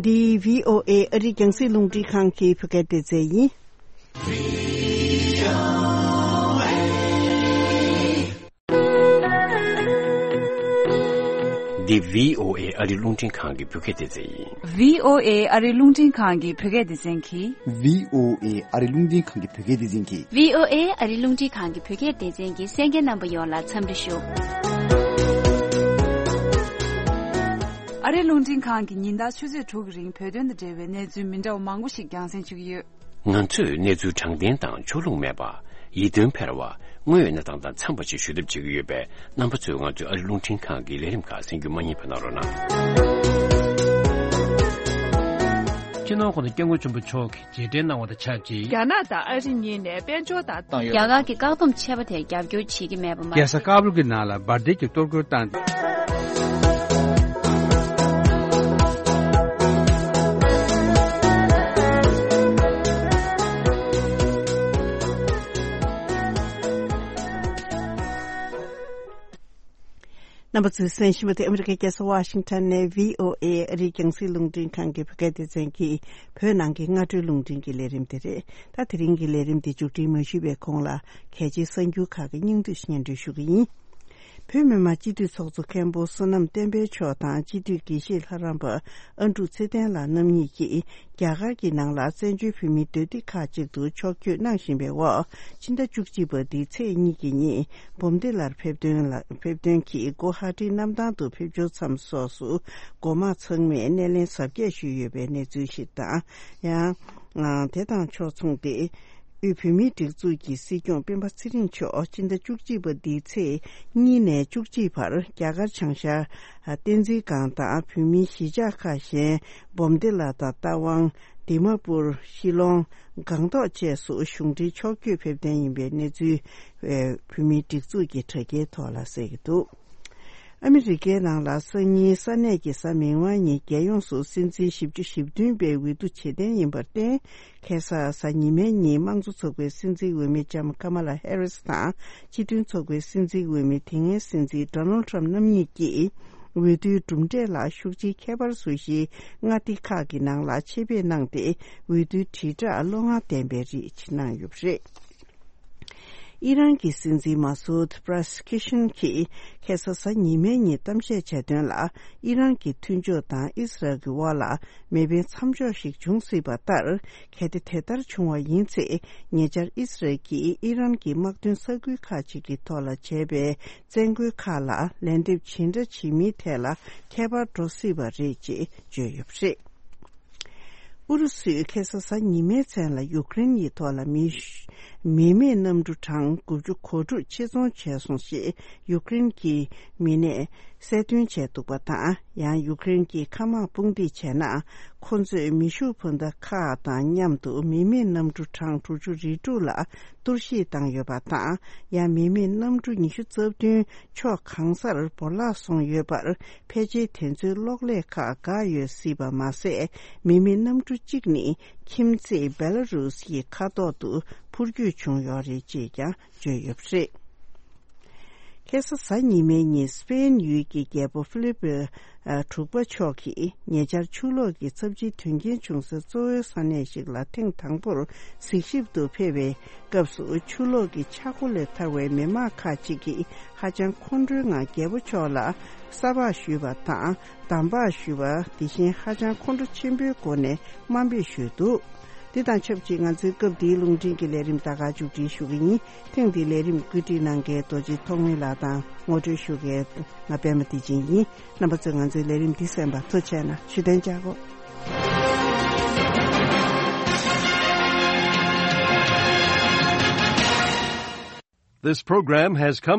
འདི་བྷི་ཨོ་ཨེ་ཨ་རིའི་རྒྱང་སྲིང་རླུང་འཕྲིན་ཁང་གི་བོད་སྐད་སྡེ་ཚན་ཡིན། འདི་བྷི་ཨོ་ཨེ་ཨ་རིའི་རླུང་འཕྲིན་ཁང་གི་བོད་སྐད་སྡེ་ཚན་ཡིན། བྷི་ཨོ་ཨེ་ཨ་རིའི་རླུང་འཕྲིན་ཁང་གི་བོད་སྐད་སྡེ་ཚན་གྱིས། བྷི་ཨོ་ཨེ་ཨ་རིའི་རླུང་འཕྲིན་ཁང་གི་བོད་སྐད་སྡེ་ཚན་གྱིས། བྷི་ཨོ་ཨེ་ཨ་རིའི་རླུང་འཕྲིན་ཁང་གི་བོད་སྐད་སྡེ་ཚན་གྱི་གསན་མཁན་རྣམ་པ་ཡོངས་ལ་འཚམས་འདྲི་ཞུ། ཨ་རིའི་རླུང་འཕྲིན་ཁང་གིས་ཉིན་ལྟར་ཆུ་ཚོད་དྲུག་གི་རིང་བོད་དོན་དང་འབྲེལ་བའི་གནས་ཚུལ་མི་འདྲ་བ་མང་པོ་ཞིག་རྒྱང་སྲིང་ཞུ་གི་ཡོད། ང་ཚོས་གནས་ཚུལ་དྲང་བདེན་དང་ཕྱོགས་ལྷུང་མེད་པ། ཡིད་རྟོན་འཕེར་བ། དངོས་ཡོད་གནས་སྟངས་དང་འཚམས་པ་ཞིག་ཞུ་ཐབས་བྱེད་ཀྱི་ཡོད་པས། རྣམ་པ་ཚོས་ང་ཚོའི་ཨ་རི་རླུང་འཕྲིན་ཁང་གི་ལས་རིམ་ཁག་གསན་རྒྱུ་མ་བསྙེལ་བ་གནང་རོགས་གནང་། སྤྱི་ནོར་༸གོང་ས་༸སྐྱབས་མགོན་ཆེན་པོ་མཆོག་གིས་རྗེས་དྲན་གནང་བ་དང་ཆབས་ཅིག་རྒྱ་ནག་དང་ཨ་རི་གཉིས་ནས་དཔལ་འབྱོར་དང་བཏང་ཡོད། རྒྱ་གར་གྱི་བཀག་སྡོམ་ཆད་པ་དེར་རྒྱབ་སྐྱོར་བྱེད་ཀྱི་མེད་པ་མ་རྒྱལ་ས་ཟད། ཀ་བུལ་གྱི་ནང་ལ་འབར་མདེལ་གྱི་གཏོར་རྒོལ་བཏང་། རྣམ་པ་ཚོས་གསན་བཞིན་པ་དེ་ཨ་མི་རི་ཀའི་རྒྱལ་ས་ཝ་ཤིང་ཊོན་ནས་བྷི་ཨོ་ཨེ་ཨ་རིའི་རྒྱང་སྲིང་རླུང་འཕྲིན་ཁང་གི་བོད་སྐད་སྡེ་ཚན་གྱི་བོད་ནང་གི་སྔ་དྲོའི་རླུང་འཕྲིན་གྱི་ལས་རིམ་དེ་རེད། ད་དེ་རིང་གི་ལས་རིམ་འདི་མཇུག་སྒྲིལ་མ་ཞུས་པའི་གོང་ལ་གལ་ཆེའི་གསར་འགྱུར་ཁག་གི་སྙིང་བསྡུས་སྙན་སྒྲོན་ཞུ་གི་ཡིན། བོད་མི་མང་སྤྱི་འཐུས་ཚོགས་གཙོ་མཁན་པོ་བསོད་ནམས་བསྟན་འཕེལ་མཆོག་དང་སྤྱི་འཐུས་དགེ་བཤེས་ལྷ་རམས་པ་ཨ་འབྲུག་ཚེ་བརྟན་ལགས་རྣམ་གཉིས་ཀྱིས་རྒྱ་གར་གྱི་ནང་ལ་བཙན་བྱོལ་བོད་མིའི་སྡོད་སྡེ་ཁག་ཅིག་ཏུ་ཕྱོགས་བསྐྱོད་གནང་བཞིན་པའི་འོག་ཕྱི་ཟླ་བཅུ་གཅིག་པ་འདིའི་ཚེས་གཉིས་ཀྱི་ཉིན་འབུམ་སྡེ་ལར་ཕེབས་དོན་ལ་ཕེབས་དོན་གྱིས་གུ་ཧ་ཊི་གནམ་ཐང་དུ་ཕེབས་འབྱོར་མཚམས་སོགས་སུ་འགོ་དམངས་ཚང་མས་སྣེ་ལེན་གཟབ་རྒྱས་ཞུས་ཡོད་པའི་གནས་ཚུལ་ཞིག་དང་། ཡང་། དེ་དང་ཕྱོགས་མཚུངས་ཏེ། དབུས་བོད་མིའི་སྒྲིག་འཛུགས་ཀྱི་སྲིད་སྐྱོང་སྤེན་པ་ཚེ་རིང་མཆོག་སྤྱི་ཟླ་བཅུ་གཅིག་པ་འདིའི་ཚེས་གཉིས་ནས་བཅུ་གཅིག་བར་རྒྱ་གར་བྱང་ཤར་བསྟན་འཛིན་སྒང་དང་བོད་མིའི་གཞིས་ཆགས་ཁག་གཞན་འབུམ་སྡེ་ལ་དང་རྟ་དབང་། དི་མ་པུར། ཤི་ལོང་། སྒང་ཏོག་བཅས་སུ་གཞུང་འབྲེལ་ཕྱོགས་བསྐྱོད་ཕེབས་གཏན་ཡིན་པའི་གནས་ཚུལ། བོད་མིའི་སྒྲིག་འཛུགས་ཀྱི་དྲ་རྒྱའི་ཐོག་ལ་གསལ་གྱི་འདུག་ཨ་མི་རི་ཀའི་ནང་ལ་སང་ཉིན་ས་གནས་ཀྱི་གཟའ་མིག་དམར་ཉིན་རྒྱལ་ཡོངས་སུ་སྲིད་འཛིན་བཞི་བཅུ་ཞེ་བདུན་པའི་འོས་བསྡུ་བྱེད་གཏན་ཡིན་པར་བརྟེན། ཁ་སང་གཟའ་ཉི་མའི་ཉིན་དམངས་གཙོ་ཚོགས་པའི་སྲིད་འཛིན་འོས་མི་ལྕམ་ཀ་མ་ལ་ཧེ་རིས་དང་སྤྱི་མཐུན་ཚོགས་པའི་སྲིད་འཛིན་འོས་མི་དེ་སྔའི་སྲིད་འཛིན་ཌོ་ནལ་ཊམ་རྣམ་གཉིས་ཀྱིས་འོས་བསྡུའི་གྲུབ་འབྲས་ལ་ཤུགས་ཆེའི་ཁྱད་པར་བཟོ་གཞིའི་མངའ་སྡེ་ཁག་གི་ནང་ལ་ཆེད་ཕེབས་གནང་སྟེ་འོས་བསྡུའི་དྲིལ་བསྒྲགས་བློ་མངའ་ལྡན་པའི་རིགས་གནང་ཡོད་པ་རེད། ཨི་རན་གྱི་སྲིད་འཛིན་མ་སུད་པ་ར་ས་ཀི་ཤན་གྱིས་ཁ་སང་གཟའ་ཉི་མའི་ཉིན་གཏམ་བཤད་བྱས་དོན་ལ། ཨི་རན་གྱི་མཐུན་ཕྱོགས་དང་ཨི་སི་རལ་གྱི་དབར་ལ་མེ་འཕེན་མཚམས་འཇོག་ཞིག་འབྱུང་སྲིད་པ་ལྟར། གལ་ཏེ་དེ་ལྟར་བྱུང་བ་ཡིན་ཚེ། ཉེ་ཆར་ཨི་སི་རལ་གྱིས་ཨི་རན་གྱི་དམག་དོན་ས་ཁུལ་ཁག་ཅིག་གི་ཐོག་ལ་བྱས་པའི་བཙན་རྒོལ་ཁག་ལ་ལན་འདེབས་ཇི་འདྲ་བྱེད་མིན་ཐད་ལ་ཁྱད་པར་འགྲོ་སྲིད་པ་རེད་ཅེས་བརྗོད་ཡོད་པ་རེད། ཨུ་རུ་སུས་ཁ་སང་གཟའ་ཉི་མའི་མཚན་ལ་ཡུ་ཀེ་རེན་ཡི་ཐོག་ལ་མི་མི་མེད་གནམ་གྲུ་གྲངས་དགུ་བཅུ་གོ་དྲུག་ཆེད་རྫོང་བྱས་སོང་ཞེས་ཡུ་ཀེ་རེན་གྱི་མི་སྣས་གསལ་སྟོན་བྱས་འདུག་པ་དང་། ཡང་ཡུ་ཀེ་རེན་གྱི་མཁའ་དམག་དཔུང་སྡེས་བྱས་ན། ཁོ་ཚོས་མེ་ཤུགས་འཕུར་མདའ་ཁག་དང་མཉམ་དུ་མི་མེད་གནམ་གྲུ་གྲངས་དྲུག་ཅུ་རེ་དྲུག་ལ་གཏོར་བཤིག་བཏང་ཡོད་པ་དང་། ཡང་མི་མེད་གནམ་གྲུ་ཉི་ཤུ་རྩ་བདུན་ཕྱོགས་གང་སར་བོར་བརླག་སོང་ཡོད་པར། ཕལ་ཆེར་དེ་ཚོའི་གློག་ཀླད་ཁག་འགག་ཡོད་སྲིད་པ་མ་ཟད། མི་མེད་གནམ་གྲུ་གཅིག་ནི་ཁྱིམ་མཚེས་བེ་ལ་རུས་ཀྱི་མཁའ་ཐོག་ཏུ་འཕུར་སྐྱོད་བྱུང་ཡོད་རེད་ཅེས་ཀྱང་བརྗོད་ཡོད་པ་རེད། ཁ་སང་གཟའ་ཉི་མའི་ཉིན་སི་པེན་ཡུལ་གྱི་རྒྱལ་པོ་ཧྥི་ལི་པི་དྲུག་པ་མཆོག་གིས་ཉེ་ཆར་ཆུ་ལོག་གི་ཚབས་ཆེའི་དོན་རྐྱེན་བྱུང་སའི་གཙོ་བོའི་ས་གནས་ཤིག་ལ་ཐེངས་དང་པོར་གཟིགས་ཞིབ་ཏུ་ཕེབས་པའི་སྐབས་སུ། ཆུ་ལོག་གི་ཆག་སྒོ་ལས་ཐར་བའི་མི་མང་ཁག་ཅིག་གིས་ཧ་ཅང་ཁོང་ཁྲོའི་ངང་རྒྱལ་པོ་མཆོག་ལ་ས་ཕག་ཞུས་པ་དང་། འདམ་བག་ཞུས་པ། དེ་བཞིན་ཧ་ཅང་ཁོང་ཁྲོ་ཆེན་པོའི་སྒོ་ནས་དམའ་འབེབས་ཞུས་འདུག་འདི་དང་ཆབས་ཅིག་ང་ཚོའི་སྐབས་འདིའི་རླུང་འཕྲིན་གྱི་ལས་རིམ་ད་ག་མཇུག་སྒྲིལ་ཞུ་གི་ཡིན། ཐེངས་འདིའི་ལས་རིམ་བཀོད་སྒྲིག་གནང་མཁན་རྡོ་རྗེ་ཐོགས་མེད་ལགས་དང་ངོ་སྤྲོད་ཞུ་མཁན་ང་པད་མ་བདེ་ཆེན་ཡིན། རྣམ་པ་ཚོས་ང་ཚོའི་ལས་རིམ་འདི་གསན་པར་ཐུགས་རྗེ་གནང་། བཞུགས་གདན་འཇགས་སྒོ། This program has come